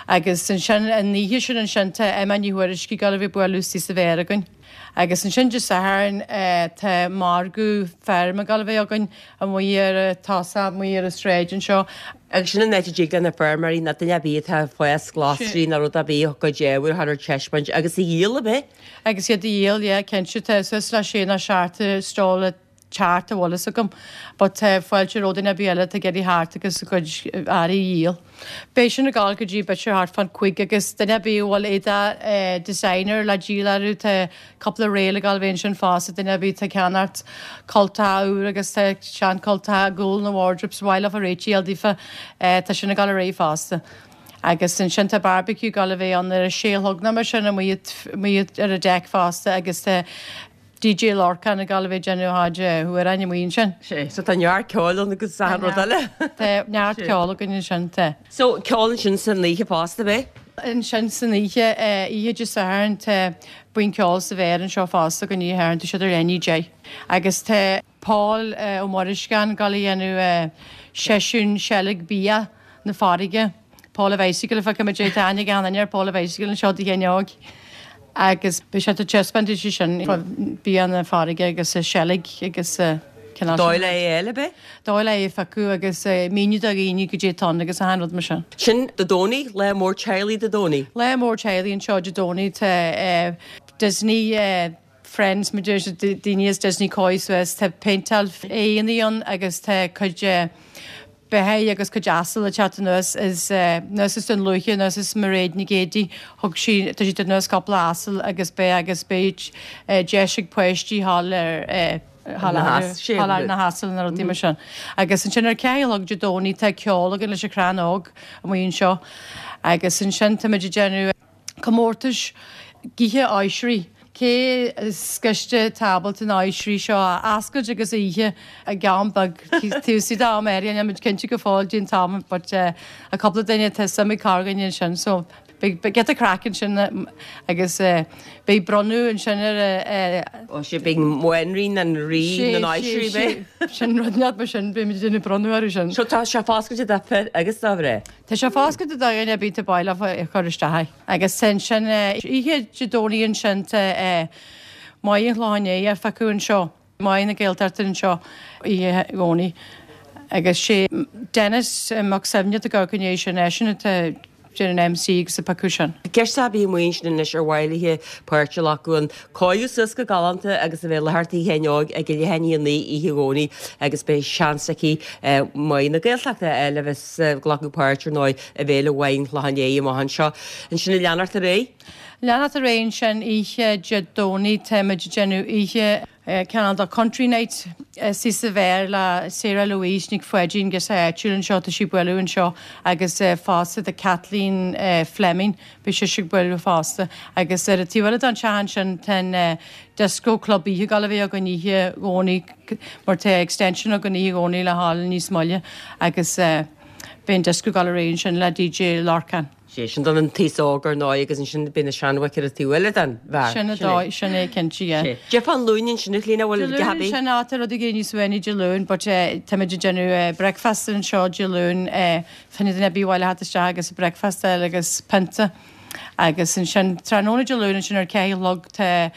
agus ansin an oíche sin ansin tá Emma Ní Thuairisg ag dul a bheith ag bualadh istigh sa bheár againn. Agus ansin Dé Sathairn tá margadh feirme ag dul a bheith againn amuigh ar an tosach, amuigh ar an sráid anseo. Agus sin an áit a dtig le na feirmeoirí nó duine ar bith atá ag fás glasraí nó rud ar bith a gcuid ábhair a chur ar taispeáint agus a dhíol, ab ea? Agus iad a dhíol, yeah, cinnte. Tá suas le sé nó seacht stall ag teacht a bhfuil fhios agam. But tá fáilte roimh duine ar bith eile atá ag iarraidh theacht agus a gcuid earraí a dhíol. Beidh sin ag gabháil go dtí b'fhéidir thart fán chúig agus duine ar bith a bhfuil éadach designer le díol orthu tá cúpla réal ag gabháil a bheith ansin fosta duine ar bith atá ag ceannacht cultacha úr agus tá sean cultacha ag gabháil na wardrobes mhaith leofa réitigh a fháil daofa tá sin ag gabháil ar aghaidh fosta. Agus ansin tá barbecue ag gabháil a bheith ann ar a sé a chlog nó mar sin amuigh amuigh ar an deck fosta agus tá DJ Lorcán ag gabháil a bheith ag déanamh a chuid amhráin amuigh ansin. Sea, so tá neart ceoil ann agus achan rud eile. Tá neart ceoil againn ansin, tá. So, ceol ansin san oíche fosta, ab ea? Ansin san oíche, oíche Dé Sathairn, tá buíon ceoil sa bheár anseo fosta againn oíche Shathairn, tá siad ar leath i ndiaidh a 10. Agus tá Paul Ó Muirisceáin ag gabháil a dhéanamh seisiún seilg bia na farraige. Paul a Bicycle a feicimid é, tá aithne ag achan duine ar Paul a Bicycle anseo i dTigh Sheáin Óig agus beidh sé ag taispeáint ansin bia na farraige agus seilg agus cineál sin. Dóigh le é a fháil, ab ea? Dóigh le é a phiocadh agus míniú do dhaoine goidé atá ann agus achan rud mar sin. Sin Dé Domhnaigh, lá mór teaghlaigh Dé Domhnaigh. Lá mór teaghlaigh anseo Dé Domhnaigh, tá Disney, Friends, mar deir siad, daoine as Disney cóirithe suas, tá péinteáil aghaidheanna ann agus tá cuid beithígh agus cuid asal ag teacht anuas is anuas as Dún Lúiche, anuas as Mairéad Nic Géadaigh, thug sí, tá sí ag tabhairt anuas cúpla asal agus beidh agus beidh deis ag páistí thall ar thall ar na hasail na rudaí mar sin. Agus ansin ar 4 a chlog Dé Domhnaigh tá ceol againn leis an Chrann Óg amuigh anseo agus ansin táimid ag déanamh Comórtais ithe oisrí. Cé is gaiste atá ábalta na oisrí seo a oscailt agus a ithe i gceann beag taobh istigh d'am áirithe. Níl muid cinnte go fóill cén t-am but tá cúpla duine tá suim ag corrdhuine ansin so beidh giota craic ansin agus beidh bronnadh ansin ar a Ó sea beidh banríon an rí na n-oisrí beidh. Sin rud leat mar sin beidh muid ag déanamh bronnadh orthu sin. So tá sé foscailte do fir agus do mhná. Tá sé foscailte do dhuine ar bith atá bail a chur isteach. Agus tá ansin oíche Dé Domhnaigh ansin tá Maighe an Chlocháin Léith á phiocadh anseo, Maighe na Gaeltachta anseo oíche Dhomhnaigh. Agus sé Denis Mac Suibhne atá ag amharc i ndiaidh sin, eisean atá. déanamh an MC agus ag piocadh sin. Ceist a bhí amuigh ansin anois ar mhaith léi páirt a ghlacadh ann. Cóiriú suas go galánta agus a bheith i láthair Tigh Sheáin Óig ag a leath i ndiaidh a 9 oíche Dhomhnaigh agus beidh seans aici Maigh na Gaeltachta a fháil a bheas ag glacadh páirt ar ndóigh i bhFéile Mhaigh an Chlocháin Léith amach anseo. Ansin ag leanacht ar aghaidh. Leanacht ar aghaidh ansin oíche Dé Domhnaigh táimid ag déanamh oíche cineál de Country Night istigh sa bheár le Sarah Louise Nic Pháidín girseach áitiúil anseo tá sí ag bualadh anseo agus fosta tá Kathleen Fleming Beidh sise ag bualadh fosta. Agus ar an taobh eile den teach ansin tá an Disco Club Oíche ag gabháil a bheith againn oíche Dhomhnaigh mar tá extension againn oíche Dhomhnaigh le dhul níos moille agus beidh an disco ag gabháil ar aghaidh ansin le DJ Lorcán. Sé sin don an t-aos óg ar ndóigh agus ansin beidh na seanbhoic ar an taobh eile den bheár. Sin an dóigh, sin é cinnte, yeah. Sé. Cad é fán Luan ansin a Chlíona, bhfuil Dé Luain ansin, á tá rud ag éirí níos uaithní Dé Luain but táimid ag déanamh breakfast anseo Dé Luain Fá choinne duine ar bith a bhaile theacht isteach agus breakfast a fháil agus pionta agus ansin tráthnóna Dé Luain ansin ar 4 a chlog tá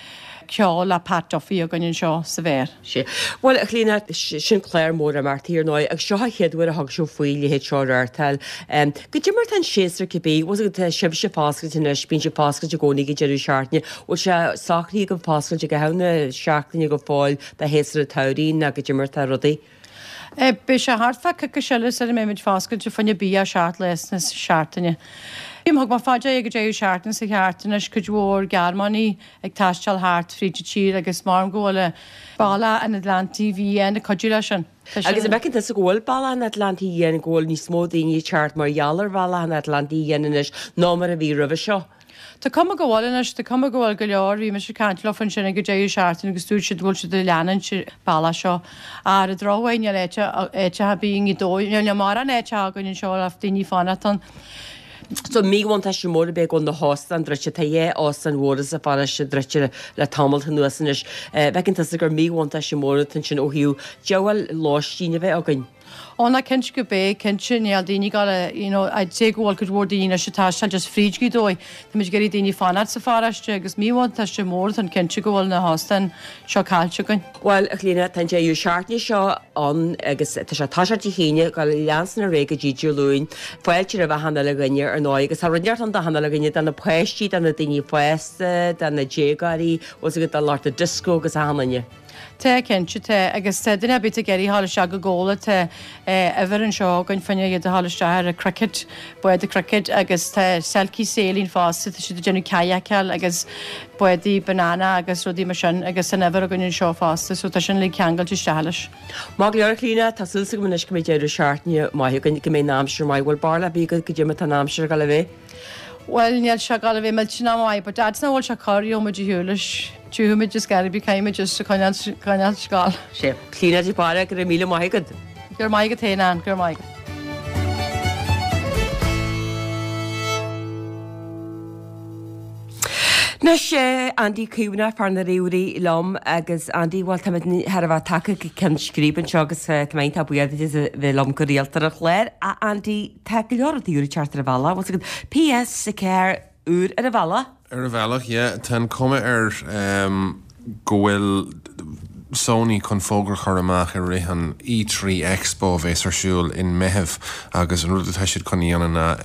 ceol le Pat Duffy againn anseo sa bheár. Sea. Bhuel, a Chlíona, sin clár mór imeachtaí ar ndóigh agus seo an chéad uair a thug sibh faoi leithéid seo a reáchtáil. Goidé mar atá an séasúr cibé, bhfuil fhios agat, tá sibhse foscailte anois, bíonn sibh foscailte i gcónaí ag an deireadh seachtaine, bhfuil sé socraithe agaibh foscailt i gcaitheamh na seachtaine go fóill do shéasúr an tsamhraidh nó goidé mar atá rudaí? Beidh sé thart fá coicís eile sula mbeimid foscailte fá choinne bia 7 lá na seachtaine. Thug mé fá dear ag an deireadh seachtaine seo thart anois cuid mhór Gearmánaigh ag taisteal thart fríd an tír agus maram go bhfuil Bealach an Atlantaigh Fhiáin ag cuidiú leis sin. Tá sin. Agus an bhfeiceann tusa go bhfuil Bealach an Atlantaigh Fhiáin, go bhfuil níos mó daoine ag teacht mar gheall ar Bhealach an Atlantaigh Fhiáin anois ná mar a bhí roimhe seo? Tá cuma go bhfuil anois, tá cuma go bhfuil go leor, bhí mise ag caint leofa ansin ag an deireadh seachtaine agus dúirt siad go bhfuil siad ag leanúint an bealach seo. Ar an drochuair níl áit ar bith i nGaoth Dobhair, níl mórán áite againn anseo le daoine fanacht ann. So míbhuntáiste mór ab ea go bhfuil na hóstáin druidte, tá dhá óstán mhóra sa pharóiste druidte le tamalt anuas anois. Bhfeiceann tusa gur míbhuntáiste mór atá ansin ó thaobh diabhal lóistín a bheith againn. Ó ná cinnte go bé, cinnte, níl daoine ag gabháil a, you know, I'd say go bhfuil cuid mhór daoine anois ag taisteal just fríd Gaoth Dobhair. Táimid ag iarraidh daoine fanacht sa pharóiste agus míbhuntáiste mór atá ann cinnte go bhfuil na hóstáin seo caillte againn. Bhuel, a Chlíona, tá an deireadh seachtaine seo ann agus tá sé ag toiseacht Dé hAoine, ag gabháil leanstan ar aghaidh go dtí Dé Luain. Fáilte roimh achan uile dhuine ar ndóigh agus tá rud inteacht ann d'achan uile dhuine, do na páistí, do na daoine fásta, do na déagóirí, bhfuil 's agat, do lucht an disco agus achan duine. Tá, cinnte, tá. Agus tá duine ar bith ag iarraidh a ghabháil isteach ag ól, tá uimhir anseo againn fá choinne iad a ghabháil isteach ar an cricket, bád cricket agus tá Selkie Sailing fosta, tá siad ag déanamh kayakáil agus bádaí banana agus rudaí mar sin agus tá an uimhir againn anseo fosta so tá sin uilig ceangailte isteach leis. Maith go leor, a Chlíona, tá súil agam anois go mbeidh deireadh seachtaine maith againn, go mbeidh an aimsir maith. Bhfuil barúil ar bith agat goidé mar atá an aimsir ag dul a bheith? Bhuel, níl sé ag dul a bheith millteanach maith, but fhad is nach bhfuil sé corr, gheobhaidh muid ar shiúl leis. Tiocfaidh muid is gan bith, caithfidh muid just a choinneáil, coinneáil scoil. Sea. Clíona de Barra, go raibh míle maith agat. Go raibh maith agat féin, Ann, go raibh maith agat. Anois, Andy Caomhánach, fear na ríomhairí liom agus Andy, bhuel táimid chóir a bheith tagtha go ceann scríbe anseo agus tá mé iontach buíoch duit as a bheith liom go rialta ar an chlár. A Andy, Tá go leor rudaí úr ag teacht ar an bhealach, bhfuil 's agat, PS4 úr ar an bhealach. Ar an bhealach, yeah. Tá an cuma air go bhfuil Sony chun fógra a chur amach i rith an E3 Expo a bheas ar siúl in Meitheamh agus an rud atá siad chun a dhéanamh ná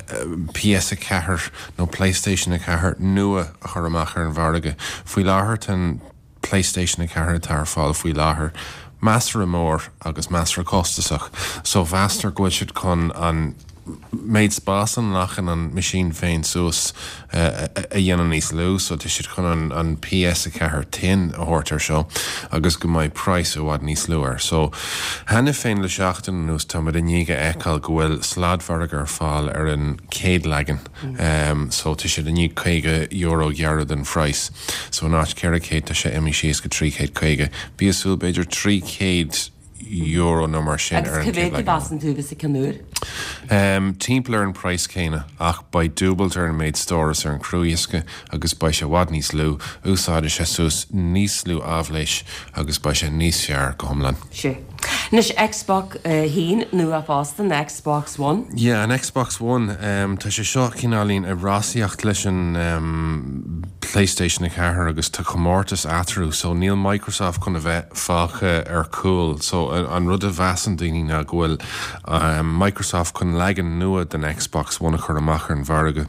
PS4 nó PlayStation 4 nua a chur amach ar an mhargadh. Faoi láthair tá an PlayStation 4 atá ar fáil faoi láthair measartha mór agus measartha costasach so meastar go bhfuil siad chun an méid spás a nglacann an meaisín féin suas a dhéanamh níos lú so tá siad chun an an PS4 Thin a thabhairt air seo agus go mbeidh praghas i bhfad níos lú air. So cheana féin le seachtain anuas táimid i ndiaidh a fheiceáil go bhfuil sladmhargadh ar fáil ar an chéad leagan so tá siad i ndiaidh €50 a ghearradh den phraghas. So in áit 400 tá sé imithe síos go 350. Bí ag súil b'fhéidir €300 nó mar sin ar an Agus cá chéad mhéad a leagan. mheasann tú a bheas an ceann úr? Timpeall ar an praghas céanna ach beidh dúbailt ar an méid stóras ar an chruadhiosca agus beidh sé i bhfad níos lú, úsáidfidh sé suas níos lú áibhléis agus beidh sé níos fearr go hiomlán. Sea. Anois Xbox 1 nua fosta, an Xbox One. Yeah, an Xbox One. Tá sé seo cineáilín ag rásaíocht leis an. PlayStation 4 agus tá comórtas eatarthu so níl Microsoft chun a bheith fágtha ar cúl. So an rud a mheasann daoine ná go bhfuil Microsoft chun leagan nua den Xbox One a chur amach ar an mhargadh.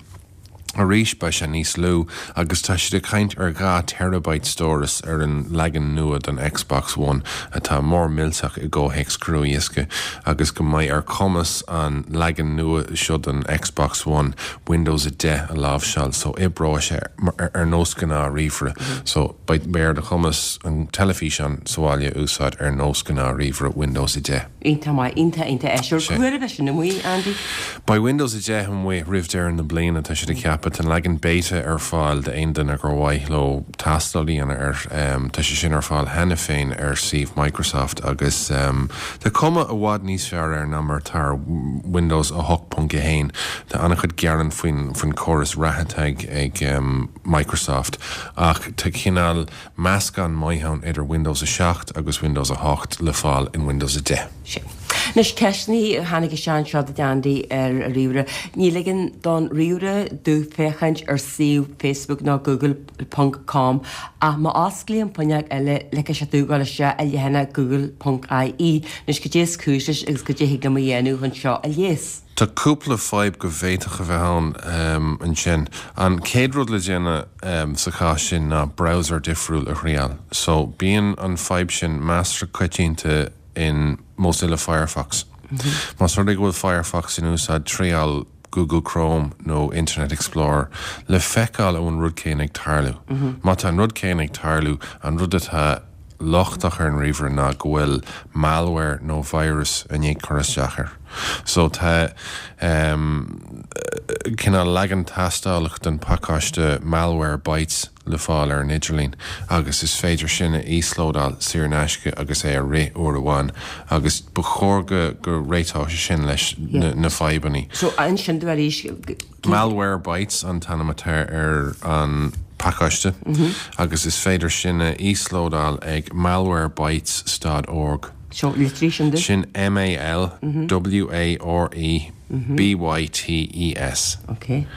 Arís beidh sé níos lú agus tá siad ag caint ar 2 terabyte stóras ar an leagan nua den Xbox One atá mór millteach i gcomhthéacs crua-dhiosca agus go mbeidh ar chumas an leagan nua seo den Xbox One Windows 10 a láimhseáil so oibreoidh sé ar nós gnáth ríomhaire so beidh ar do chumas an teilifíseán sa bhaile a úsáid ar nós gnáth ríomhaire Windows 10. Iontach maith, iontach, iontach áisiúil. Cá huair a bheidh sin amuigh, Andy? Beidh Windows 10 amuigh roimh deireadh na bliana, tá siad ag ceapadh. Tá an leagan beta ar fáil d'aon duine gur mhaith leo tástáil a dhéanamh air. Tá sé sin ar fáil cheana féin ar suíomh Microsoft agus tá cuma i bhfad níos fearr air ná mar atá ar Windows 8.1. Tá an-chuid gearán faoin chóras reatha atá ag Microsoft ach tá cineál meascán maith ann idir Windows 7 agus Windows 8 le fáil in Windows 10. Sin. Anois, ceisteanna a tháinig isteach anseo duit Andy ar an ríomhaire. Ní ligeann don ríomhaire domh féachaint ar suíomh Facebook nó Google ponc com ach má osclaím fuinneog eile ligfidh sé domh dul isteach i leathanach Google ponc ie. Anois, cad é is cúis leis agus cad é a thig liom a dhéanamh chun seo a leigheas? Tá cúpla fadhb go bhféadfadh a bheith ann ansin. An chéad rud le déanamh sa chás sin ná browser difriúil a thriáil. So, bíonn an fadhb sin measartha coitianta in Mozilla Firefox. Más rud é go bhfuil Firefox in úsáid, triáil Google Chrome nó Internet Explorer le feiceáil an bhfuil an rud céanna ag tarlú. Má tá an rud céanna ag tarlú, an rud atá lochtach ar an ríomhaire ná go bhfuil malware nó virus i ndiaidh cur isteach air. So tá ehm cineál leagan tástála den phacáiste Malwarebytes le fáil ar an idirlíon agus is féidir sin a íoslódáil saor in aisce agus é a rith uair amháin agus ba chóir go go réiteodh sé sin leis na fadhbanna. So inis sin domh arís. Malwarebytes an t-ainm atá ar an pacáiste agus is féidir sin a íoslódáil ag malwarebytes stad org. So, litrigh sin domh. Sin M A L W A R E B Y T E S Ok.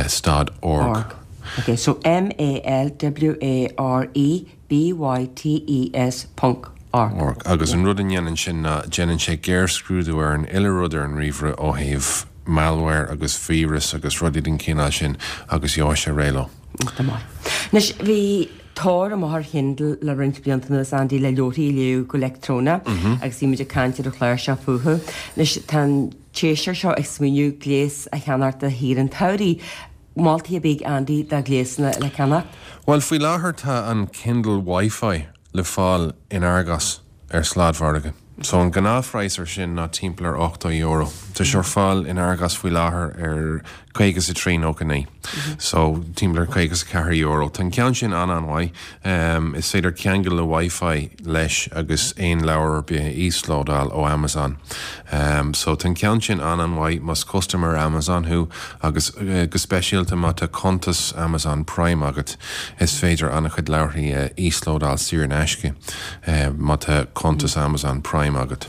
stad org. Ok, so M A L W A R E B-Y-T-E-S ponc org. org. Agus an rud a dhéanann sin ná déanann sé géarscrúdú ar an uile rud ar an ríomhaire ó thaobh malware agus víreas agus rudaí den chineál sin agus gheobhaidh sé réidh leo. Go maith. Anois, bhí tóir amach ar Kindle le roinnt blianta anuas, Andy, le leabharthaí a léamh go leictreonach agus bhí muid ag caint ar an chlár seo fúthu. Anois, tá an t-éisteoir seo ag smaoineamh gléas a cheannacht do shaoire an tsamhraidh. Moltaí ar bith ag Andy do ghléasanna le ceannacht? Bhuel, faoi láthair tá an Kindle WiFi le fáil in Argos ar sladmhargadh. So an gnáthphraghas ar sin ná timpeall ar €80. Tá sé ar fáil in Argos faoi láthair ar 53.99. So timpeall ar €54. Tá an ceann sin an-an-mhaith. Is féidir ceangal le WiFi leis agus aon leabhar ar bith a íoslódáil ó Amazon. So tá an ceann sin an-an-mhaith más custaiméir Amazon thú agus go speisialta má tá cuntas Amazon Prime agat, is féidir an-chuid leabharthaí a íoslódáil saor in aisce má tá cuntas Amazon Prime agat.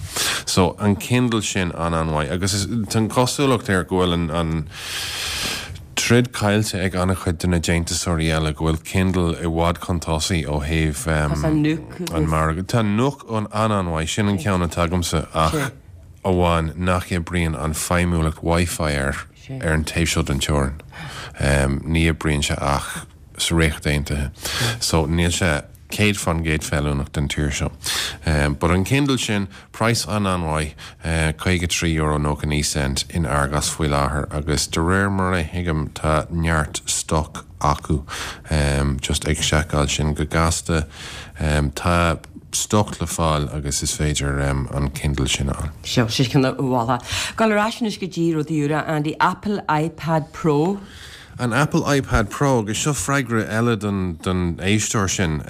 So an Kindle sin an-an-mhaith agus tá an chosúlacht air go bhfuil an troid caillte ag an-chuid de na déantúsóirí eile, go bhfuil Kindle i bhfad chun tosaigh ó thaobh an margaidh. Tá Nook an-an-mhaith, sin an ceann atá agamsa ach amháin nach oibríonn an feidhmiúlacht Wi-Fi air ar an taobh seo den teorainn. Ní oibríonn sé ach sa Ríocht Aontaithe. So níl sé 100% feiliúnach don tír seo. But an Kindle sin, praghas an-an-mhaith, €53.99 in Argos faoi láthair agus de réir mar a thuigim tá neart stoc acu. Just ag seiceáil sin go gasta. Tá stoc le fáil agus is féidir an Kindle sin a fháil. Seo, sin ceann a mholfá. Gabháil ar ais anois go dtí rudaí úra, Andy, Apple iPad Pro. An Apple iPad Pro, agus seo freagra eile don don éisteoir sin,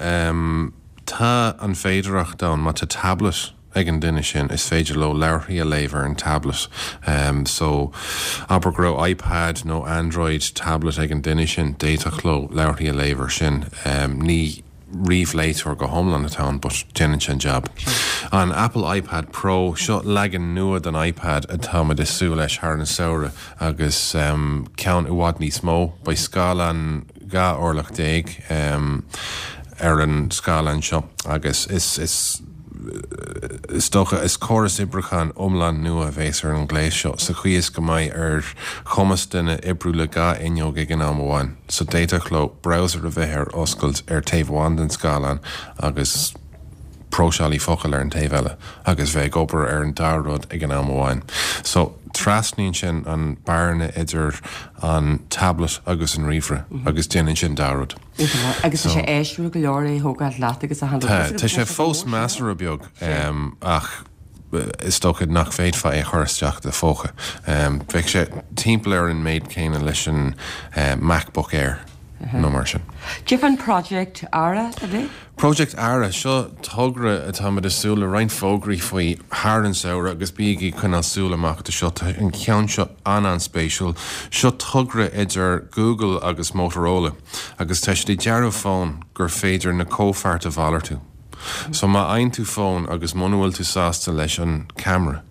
tá an féidearthacht ann má tá tablet ag an duine sin, is féidir leo leabharthaí a léamh ar an tablet. So, abair go raibh iPad nó Android tablet ag an duine sin, d'fhéadfadh leo leabharthaí a léamh ar sin. Ní ríomhléiteoir go hiomlán atá ann but déanann sé an jab. An Apple iPad Pro, seo leagan nua den iPad atá muid ag súil leis thar an samhradh agus ceann i bhfad níos mó. Beidh scáileán. 12 orlach ar an scáileán seo agus is is is dócha is córas oibriúcháin iomlán nua a bhéas ar an ghléas seo sa chaoi is go mbeidh ar chumas duine oibriú le 2 fhuinneog ag an am amháin. So d'fhéadfadh leo browser a bheith ar oscailt ar taobh amháin den scáileán agus próiseálaí focal ar an taobh eile agus bheith ag obair ar an dá rud ag an am amháin. So trasnaíonn sin an bearna idir an tablet agus an ríomhaire agus déanann sin dá rud. Agus tá sé áisiúil go leor é a thógáil leat agus a handle. Tá, tá sé fós measartha beag ach is dócha nach bhféadfá é a chur isteach i do phóca. Bheadh sé timpeall ar an méid céanna leis an MacBook Air nó mar sin. Cad é fán Project Ara, a bhí? Project Ara, seo togra atáimid ag súil le roinnt fógraí faoi thar an samhradh agus bígí ag coinneáil súil amach do seo. Tá an ceann seo an-an-spéisiúil. Seo togra idir Google agus Motorola agus tá siad ag dearadh fón gur féidir na comhpháirt a mhalartú. So má fhaigheann tú fón agus muna bhfuil tú sásta leis an camera,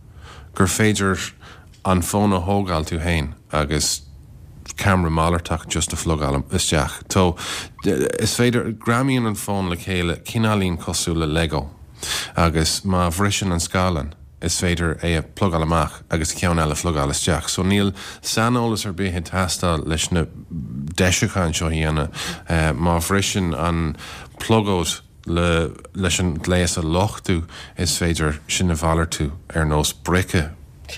gur féidir an fón a thógáil tú féin agus ceamara malartach just a phlugáil isteach. So, is féidir, greamaíonn an fón le chéile cineáilín cosúil le Lego agus má bhriseann an scáileán is féidir é a phlugáil amach agus ceann eile a phlugáil isteach. So níl saineolas ar bith ag teastáil leis na deisiúcháin seo a dhéanamh. Má bhriseann an plugóid le leis an gléas a luchtú is féidir sin a mhalartú ar nós brice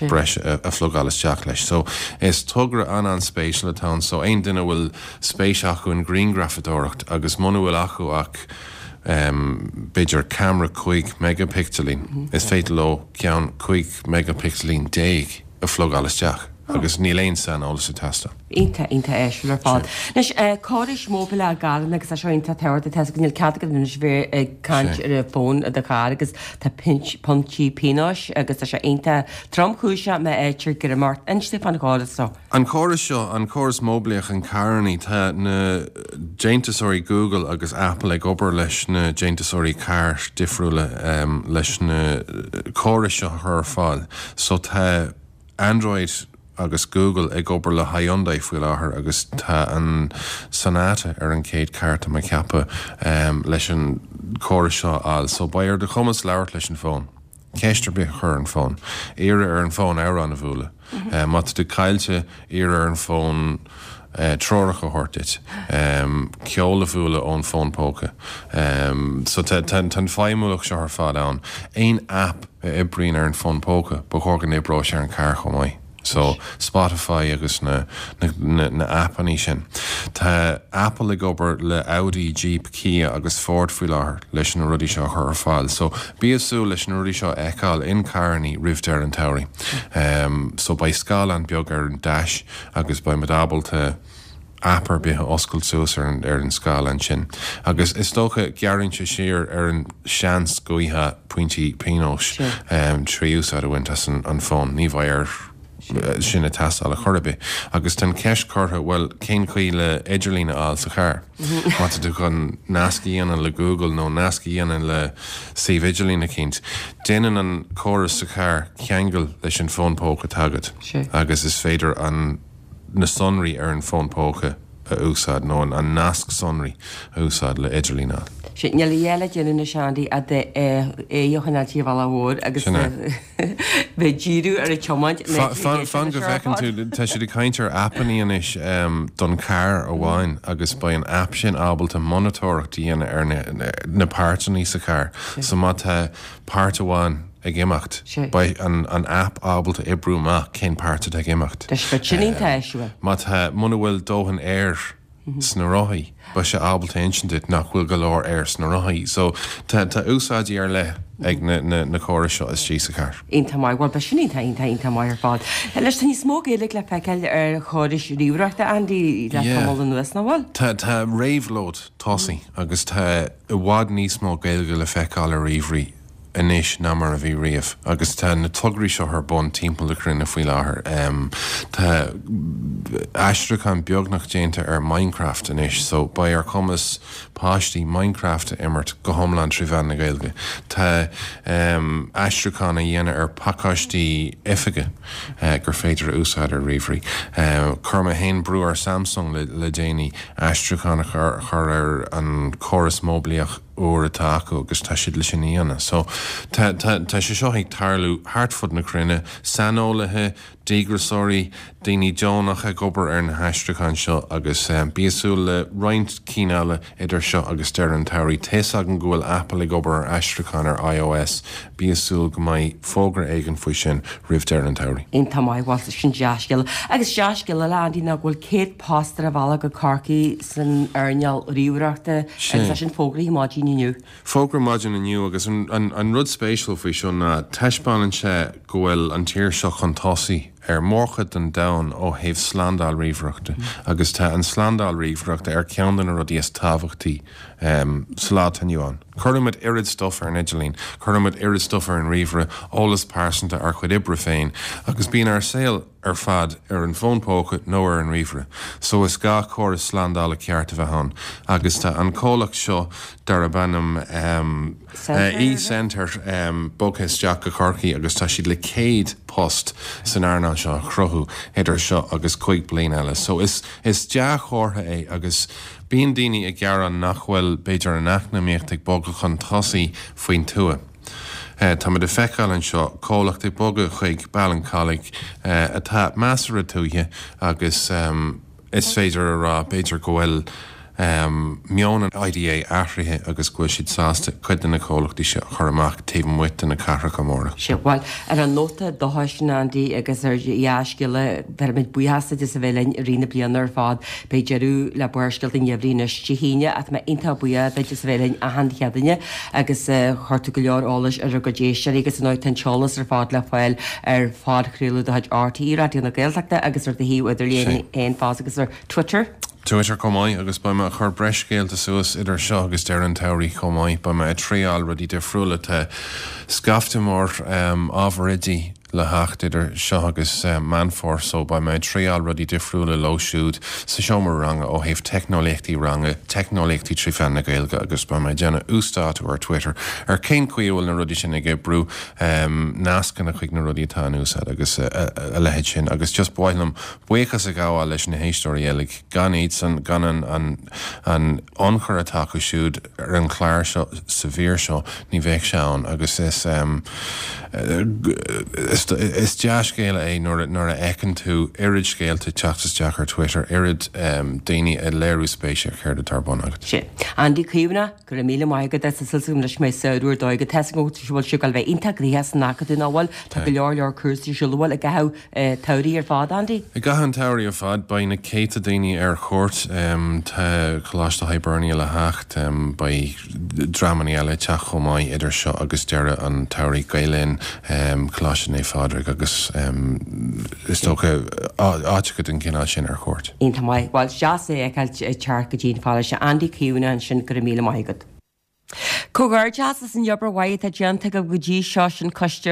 breise a phlugáil isteach leis. So is togra an-an-spéisiúil atá ann. So aon duine a bhfuil spéis acu in grianghrafadóireacht agus muna bhfuil acu ach b'fhéidir ceamara 15 meigipicseilín, is féidir leo ceann 15 meigipicseilín a phlugáil isteach agus níl aon saineolas ag teastáil. Iontach, iontach áisiúil ar fad. Anois, córais móibíleach i gcarranna agus tá seo iontach tábhachtach, tá a fhios againn níl cead agat anois bheith ag caint ar an bhfón i do charr agus tá pointí pionóis agus tá sé iontach tromchúiseach má fhaightear greim ort. Inis dúinn fán chóras seo. An córas seo, an córas móibíleach in carrannaí, tá na déantúsóirí Google agus Apple ag obair leis na déantúsóirí carr difriúla leis na córais seo a chur ar fáil. So tá Android agus Google ag obair le Hyundai faoi láthair agus tá an Sonata ar an chéad carr tá mé ag ceapadh leis an córas seo a fháil. So beidh ar do chumas labhairt leis an bhfón, ceist ar bith a chur ar an bhfón, iarraidh ar an bhfón amhrán a bhualadh. Má tá tú caillte, iarraidh ar an bhfón treoracha a thabhairt duit, ceol a bhualadh ón bhfón póca. So tá an feidhmiúlacht seo ar fad ann. Aon app a oibríonn ar an bhfón póca, ba chóir go n-oibreoidh sé ar an carr chomh maith. So, Spotify agus na na na aipeannaí sin. Tá Apple ag obair le Audi, Jeep, Kia agus Ford faoi láthair leis na rudaí seo a chur ar fáil. So, bí ag súil leis na rudaí seo a fheiceáil in carrannaí roimh deireadh an tsamhraidh. So, beidh scáileán beag ar an dash agus beidh muid ábalta aip ar bith a oscailt suas ar an ar an scáileán sin. Agus is dócha gearrann sé siar ar an seans go bhfaighfeá pointí pionóis trí úsáid a bhaint as an fón. Ní bheidh air sin ag teastáil ar chor ar bith. Agus tá an cheist curtha, bhuel, cén chaoi le idirlíon a fháil sa charr? Má tá tú chun nasc a dhéanamh le Google nó nasc a dhéanamh le suíomh idirlín eicínt, déanann an córas sa charr ceangal leis an bhfón póca atá agat agus is féidir an na sonraí ar an bhfón póca a úsáid nó an nasc sonraí a úsáid le idirlíon a fháil. Sea, níl a dhath le déanamh anois Andy ach d'aghaidh a choinneáil ar an bhealach mhór agus Sin é. bheith ag díriú ar an tiomáint. Fan fan go bhfeiceann tú, tá siad ag caint ar aipeannaí anois don charr amháin agus beidh an aip sin ábalta monatóireacht a dhéanamh ar na páirteanna sa charr. So má tá páirt amháin ag imeacht. Beidh an aip ábalta oibriú amach cén páirt atá ag imeacht. Tá sé sin iontach áisiúil. Má tá, muna bhfuil dóthain aeir sna rothaí, beidh sé ábalta insint duit nach bhfuil go leor aeir sna rothaí. So tá tá úsáidí ar leith ag na na na córais seo istigh sa charr. Iontach maith. Bhuel, beidh sin iontach, iontach, iontach maith ar fad. Anois, tá níos mó Gaeilge le feiceáil ar chórais ríomhaireachta, Andy, le tamall anuas, nach bhfuil? Tá tá réabhlóid tosaithe agus tá i bhfad níos mó Gaeilge le feiceáil ar ríomhairí. anois ná mar a bhí riamh agus tá na tograí seo ar bun timpeall na cruinne faoi láthair. Tá aistriúchán beagnach déanta ar Minecraft anois so beidh ar chumas páistí Minecraft a imirt go hiomlán trí mheán na Gaeilge. Tá aistriúchán á dhéanamh ar phacáistí oifige gur féidir a úsáid ar ríomhairí. Chuir mé féin brú ar Samsung le déanaí aistriúchán a chur ar an chóras móiblíoch úr atá acu agus tá siad le sin a dhéanamh. So tá tá sé seo ag tarlú thart fud na cruinne, saineolaithe, díograiseoirí, daoine deonacha ag obair ar na haistriúcháin seo agus bí ag súil le roinnt cinn eile idir seo agus deireadh an tsamhraidh. Tá's agam go bhfuil Apple ag obair ar aistriúchán ar iOS, bí ag súil go mbeidh fógra éigin faoi sin roimh deireadh an tsamhraidh. Iontach maith, bhuel sin dea-scéala. Agus dea-scéal eile, Andy, ná go bhfuil 100 post ar a bhealach go Corcaigh san earnáil ríomhaireachta agus é sin fógraithe maidin inniu. Fógra maidin inniu agus an rud spéisiúil faoi seo ná taispeánann sé go bhfuil an tír seo chun tosaigh ar mhórchuid den domhan ó thaobh slándáil ríomhaireachta agus tá an slándáil ríomhaireachta ar cheann de na rudaí is tábhachtaí sa lá atá inniu ann. Cuirimid oiread stuif ar an idirlíon, cuirimid oiread stuif ar an ríomhaire, eolas pearsanta, ár chuid oibre féin agus bíonn ár saol ar fad ar an bhfón póca nó ar an ríomhaire. So is gá córas slándála ceart a bheith ann agus tá an comhlacht seo darb ainm eSentire bogtha isteach go Corcaigh agus tá siad le 100 post san earnáil seo a chruthú idir seo agus cuig bliain eile. So is is dea-chomhartha é agus bíonn daoine ag gearán nach bhfuil b'fhéidir an eacnamaíocht ag bogadh chun tosaigh faoin tuath. Táimid ag feiceáil anseo comhlacht ag bogadh chuig Ballincollig atá measartha tuaithe agus is féidir a rá b'fhéidir go bhfuil meon an IDA athraithe agus go bhfuil siad sásta cuid de na comhlachtaí seo a chur amach taobh amuigh de na cathracha móra. Sea, bhuel, ar an nóta dóchais sin, Andy, agus ar dhea-scéala, bheirimid buíochas duit as a bheith linn i rith na bliana ar fad. Beidh deireadh le Barrscéalta an Gheimhridh anois Dé hAoine ach tá mé iontach buíoch duit as a bheith linn achan Chéadaoine agus chuir tú go leor eolais ar ár gcuid éisteoirí agus ar ndóigh tá an t-eolas ar fad le fáil ar phodchraoladh de chuid RTÉ Raidió na Gaeltachta agus ar do shuíomh idirlín féin fosta agus ar Twitter. Twitter chomh maith agus beidh mé ag cur breis scéalta suas idir seo agus deireadh an tsamhraidh chomh maith. Beidh mé ag triáil rudaí difriúla. Tá scaifte mór ábhar oidí le theacht idir seo agus Meán Fómhair so beidh mé ag triáil rudaí difriúla leo siúd sa seomra ranga ó thaobh teicneolaíochtaí ranga, teicneolaíochtaí trí mheán na Gaeilge agus beidh mé ag déanamh uasdátú ar Twitter ar cén chaoi a bhfuil na rudaí sin ag oibriú, nascanna chuig na rudaí atá in úsáid agus a leithéid sin agus just ba mhaith liom buíochas a ghabháil leis na héisteoirí uilig, gan iadsan, gan an an ionchur atá acu siúd ar an chlár seo sa mhír seo, ní bheadh sé ann agus is is dea-scéala é nuair nuair a fheiceann tú oiread scéalta ag teacht isteach ar Twitter, oiread daoine ag léiriú spéise ar chéard atá ar bun agat. Sin. Andy Caomhánach, go raibh míle maith agat as tá súil agam anois go mbeidh samhradh ar dóigh agat. Tá 'fhios agam go bhfuil sibh ag dul a bheith iontach gnoitheach san Acadamh nach bhfuil? Tá go leor leor cúrsaí ar siúl, an bhfuil i gcaitheamh an tsamhraidh ar fad, Andy? I gcaitheamh an tsamhraidh ar fad, beidh na céadta daoine ar cuairt. Tá Coláiste Hibernia le theacht, beidh dreamanna eile ag teacht chomh maith idir seo agus deireadh an tsamhraidh, Gael Linn, Coláiste Naomh Phádraig agus is dócha áiteacha den chineál sin ar cuairt. Iontach maith. Bhuel, is deas é a fheiceáil ag teacht go dtí an pharóiste. Andy Caomhánach ansin, go raibh míle maith agat. Comhghairdeas as an obair mhaith atá déanta agaibh go dtí seo, sin Coiste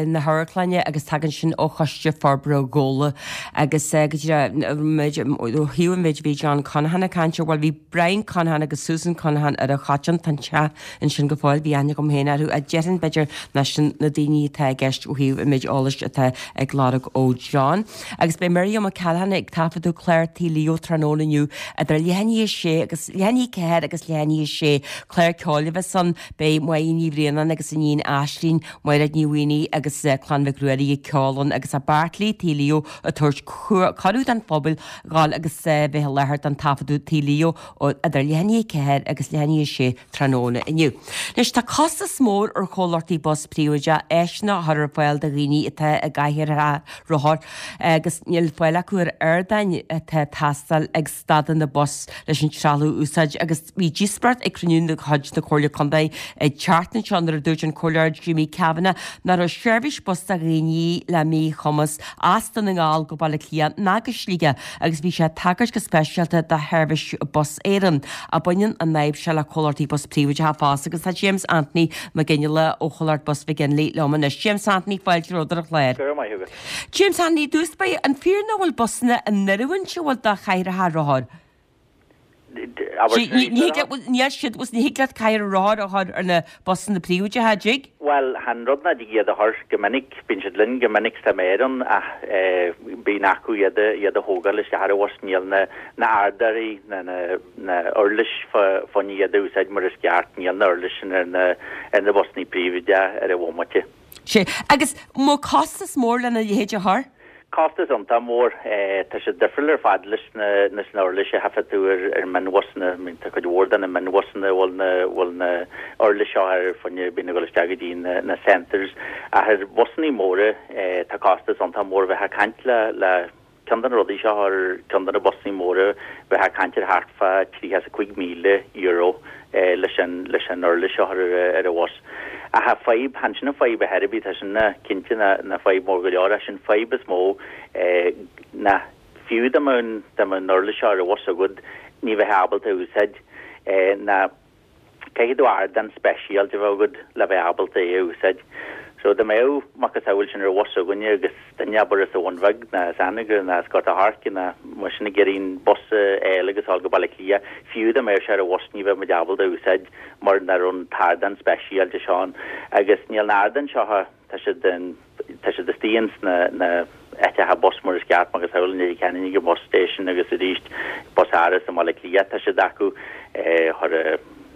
na hAmharclainne agus tagann sin ó Choiste Forbartha Ghabhla agus go díreach ó thaobh an mhéid a bhí John Conaghan ag caint air, bhuel bhí Brian Conaghan agus Susan Conaghan ar an Choiteann, tá an teach ansin go fóill, bhí aithne agam féin orthu ach déarfainn b'fhéidir nach sin na daoine atá i gceist ó thaobh an méid eolais atá ag lorg ó John. Agus beidh Miriam O'Callaghan ag taifeadadh clár Tigh Leo tráthnóna inniu idir leath i ndiaidh a sé agus leath i ndiaidh 4 agus leath i ndiaidh a sé. Clár ceoil a bheas ann. Beidh Máire Ní Bhraonáin agus a níon Aislinn, Mairéad Ní Mhaonaigh agus Clann Mhic Ruairí ag ceol ann agus Bartley Tigh Leo ag tabhairt cuireadh don phobal dhul agus bheith i láthair don taifeadadh Tigh Leo idir leath i ndiaidh 4 agus leath i ndiaidh a sé tráthnóna inniu. Anois tá costas mór ar chomhlachtaí bus príobháideach áiseanna a chur ar fáil do dhaoine atá i gcathaoireacha rothar agus níl fáil acu ar ardáin atá ag teastáil ag stadanna bus leis an trealamh a úsáid agus bhí díospóireacht ag cruinniú de chuid na Comhairle Contae. Chontae an tseachtain seo nuair a dúirt an Comhairleoir Jimmy Kavanagh nach raibh seirbhís bus do dhaoine le míchumas as Dún na nGall go Baile Átha Cliath ná go Sligeach agus bhí sé ag tagairt go speisialta do sheirbhís Bus Éireann. Ach baineann an fhadhb seo le comhlachtaí bus príobháideacha fosta agus tá James Anthony Mac Fhionnghaile ó chomhlacht Bus McGinley liom anois. James Anthony, fáilte romhat ar an chlár. Go raibh maith agat. James Anthony, i dtús báire, an fíor nach bhfuil busanna in oiriúint an bhfuil do chathaoireacha rothar? Níl siad, ní thig leat cathaoir rothar a chur ar na busanna príobháideacha, an dtig? Bhuel, chan rud nach dtig iad a chur go minic, bíonn siad linn go minic sa méar ann ach bíonn acu iad a iad a thógáil isteach ar an bhus, níl na na ardáirí na na na uirlis fá choinne iad a úsáid mar is ceart, níl na uirlis sin ar na ar na busanna príobháideacha ar an bhomaite. Sea. Agus an bhfuil costas mór lena leithéid a chur? Costas iontach mór. Tá sé difriúil ar fad leis na leis na uirlis a thaifead tú ar ar mionbhusanna. I mean tá cuid mhór de na mionbhusanna a bhfuil na bhfuil na uirlis seo ar fá choinne bíonn ag dul isteach go dtí na na centres. Ach ar bhusannaí móra tá costas iontach mór. Bheifeá ag caint le le Ceann de na rudaí seo ar ceann de na busannaí móra bheifeá ag caint ar thart fá €35,000 leis an leis an uirlis seo ar ar an bhus. Ach tá fadhb, chan sin an fadhb ar chor ar bith, tá sin cinnte ina fadhb mór go leor ach sin fadhb is mó ná fiú dá mbeadh an dá mbeadh an uirlis seo ar an bhus agat ní bheifeá ábalta a úsáid ná Caithfidh tú ardán speisialta a bheith agat le bheith ábalta é a úsáid. So dá mbeadh macasamhail sin ar bhus againne agus duine abair as an Bhun Bheag ná as Anagaire ná as Gort a' Choirce ná mar sin ag iarraidh an bus a fháil agus a dhul go Baile Átha Cliath, fiú dá mbeadh sé ar an bhus ní bheadh muid ábalta a úsáid mar nach raibh an t-ardán speisialta seo ann. Agus níl na ardáin seo Tá siad tá siad istigh ins na na áiteacha bus mar is ceart macasamhail i Leitir Ceanainn ag an bus station agus arís Bus Áras i mBaile Átha Cliath tá siad acu chur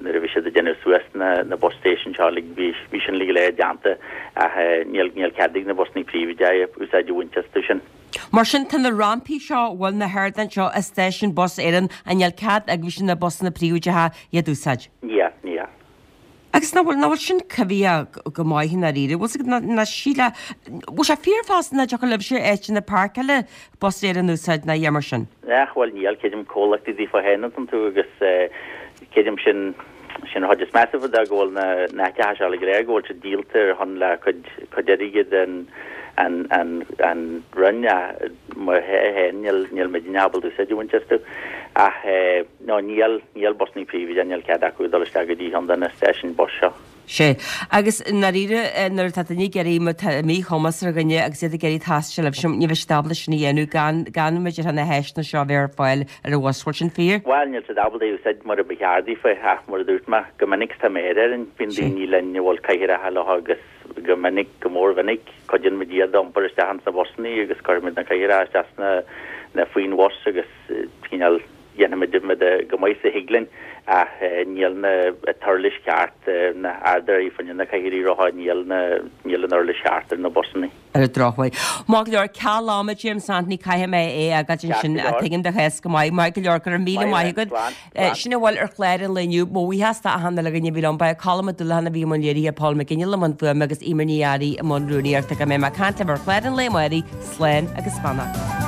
nuair a bhí siad ag déanamh suas na na bus station seo uilig bhí bhí sin uilig go léir déanta ach níl níl cead ag na busannaí príobháideacha úsáid a bhaint astu sin. Mar sin tá na rampaí seo bhfuil na hardáin seo i stáisiún Bus Éireann an níl cead ag na busanna príobháideacha iad úsáid? Níl, níl. Agus nach bhfuil, nach bhfuil sin coimhthíoch go maith i ndáiríre? Bhfuil 's agat, ná síle, bhfuil sé fíor fosta nach dtiocfadh libhse áiteanna páirceála Bus Éireann a úsáid ná a dhath mar sin? Ach bhuel níl, creidim comhlachtaí daofa féin atá iontu agus creidim sin, sin an chuid is measa fá de go bhfuil na, na háiteacha seo uilig go léir, go bhfuil siad díolta ar shon le cuid, cuid airgid an, an, an, an Roinn ach mar féin níl, níl muidne ábalta úsáid a bhaint astu. Ach eh. No, níl, níl busannaí príobháideacha, níl cead acu dul isteach go dtí cheann de na stáisiúin bus seo. Sea. Agus i ndáiríre, nuair atá duine ag iarraidh, má tá míchumas ar dhuine agus iad ag iarraidh taisteal libhse, ní bheidh siad ábalta sin a dhéanamh gan, gan b'fhéidir na háiseanna seo a bheith ar fáil ar an bhus. Bhfuil sin fíor? Bhuel, níl siad ábalta é a úsáid mar a ba cheart daofa, ach mar a dúirt mé, go minic tá méar orainn, bíonn daoine linn a bhfuil cathaoireacha leo agus go minic, go mórmhinic, cuidíonn muid iad a iompar isteach ins na busannaí agus cuirimid na cathaoireacha isteach sna, na, faoin bhus agus cineál, Déanaimid muid go maith is a thig linn ach níl na t-uirlis cheart, na hardáin fá choinne na cathaoirí rotha, níl na, níl an uirlis cheart ar na busannaí. Ar an drochuair. Maith go leor, ceal ama, James Anthony, caithfidh mé é a fhágáilt ansin, tuigim do chás go maith. Maith go leor, go raibh míle maith agat. Sin a bhfuil ar chlár an lae inniu. Mo bhuíochas d'achan uile dhuine a bhí liom. Ba é Colm Ó Dúlacháin a bhí i mbun léirithe, Paul McGinley i mbun fuaime agus Eimear Ní Fhearraigh i mbun rúnaíochta. Go mbeidh mé ag caint libh ar chlár an lae amárach, slán agus beannacht.